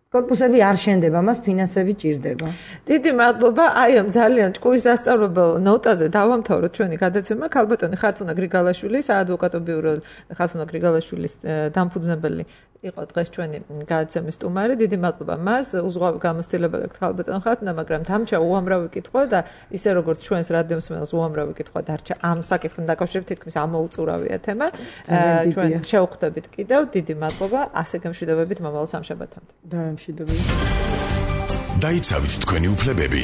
Speaker 3: კორპუსები არ შენდება, მას ფინანსები ჭირდება.
Speaker 2: დიდი მადლობა. აი ამ ძალიან ჭკუის სასწავლებელ ნოტაზე დავამთავროთ ჩვენი გადაცემა. ქალბატონი ხათუნა გრიგალაშვილი, საადვოკატო ბიურო ხათუნა გრიგალაშვილის დამფუძნებელი იყო დღეს ჩვენი გადაცემის სტუმარი. დიდი მადლობა მას. უზღვავი გამოცდილება გაქვთ ქალბატონ ხათუნა, მაგრამ დამჭა უამრავი კითხვა და ისე როგორც ჩვენს რადიომსმენელს უამრავი კითხვა დარჩა ამ საკითხთან დაკავშირებით, თითქმის ამოუწურავია თემა. ჩვენ შევხვდებით კიდევ. დიდი მადლობა. ასე გემშვიდობებით მომავალ სამშაბათამდე.
Speaker 6: დაიცავით თქვენი უფლებები.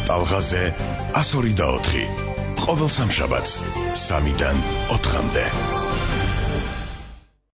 Speaker 6: ტალღაზე 102 და 4. ყოველ სამშაბათს 3-დან 4-მდე.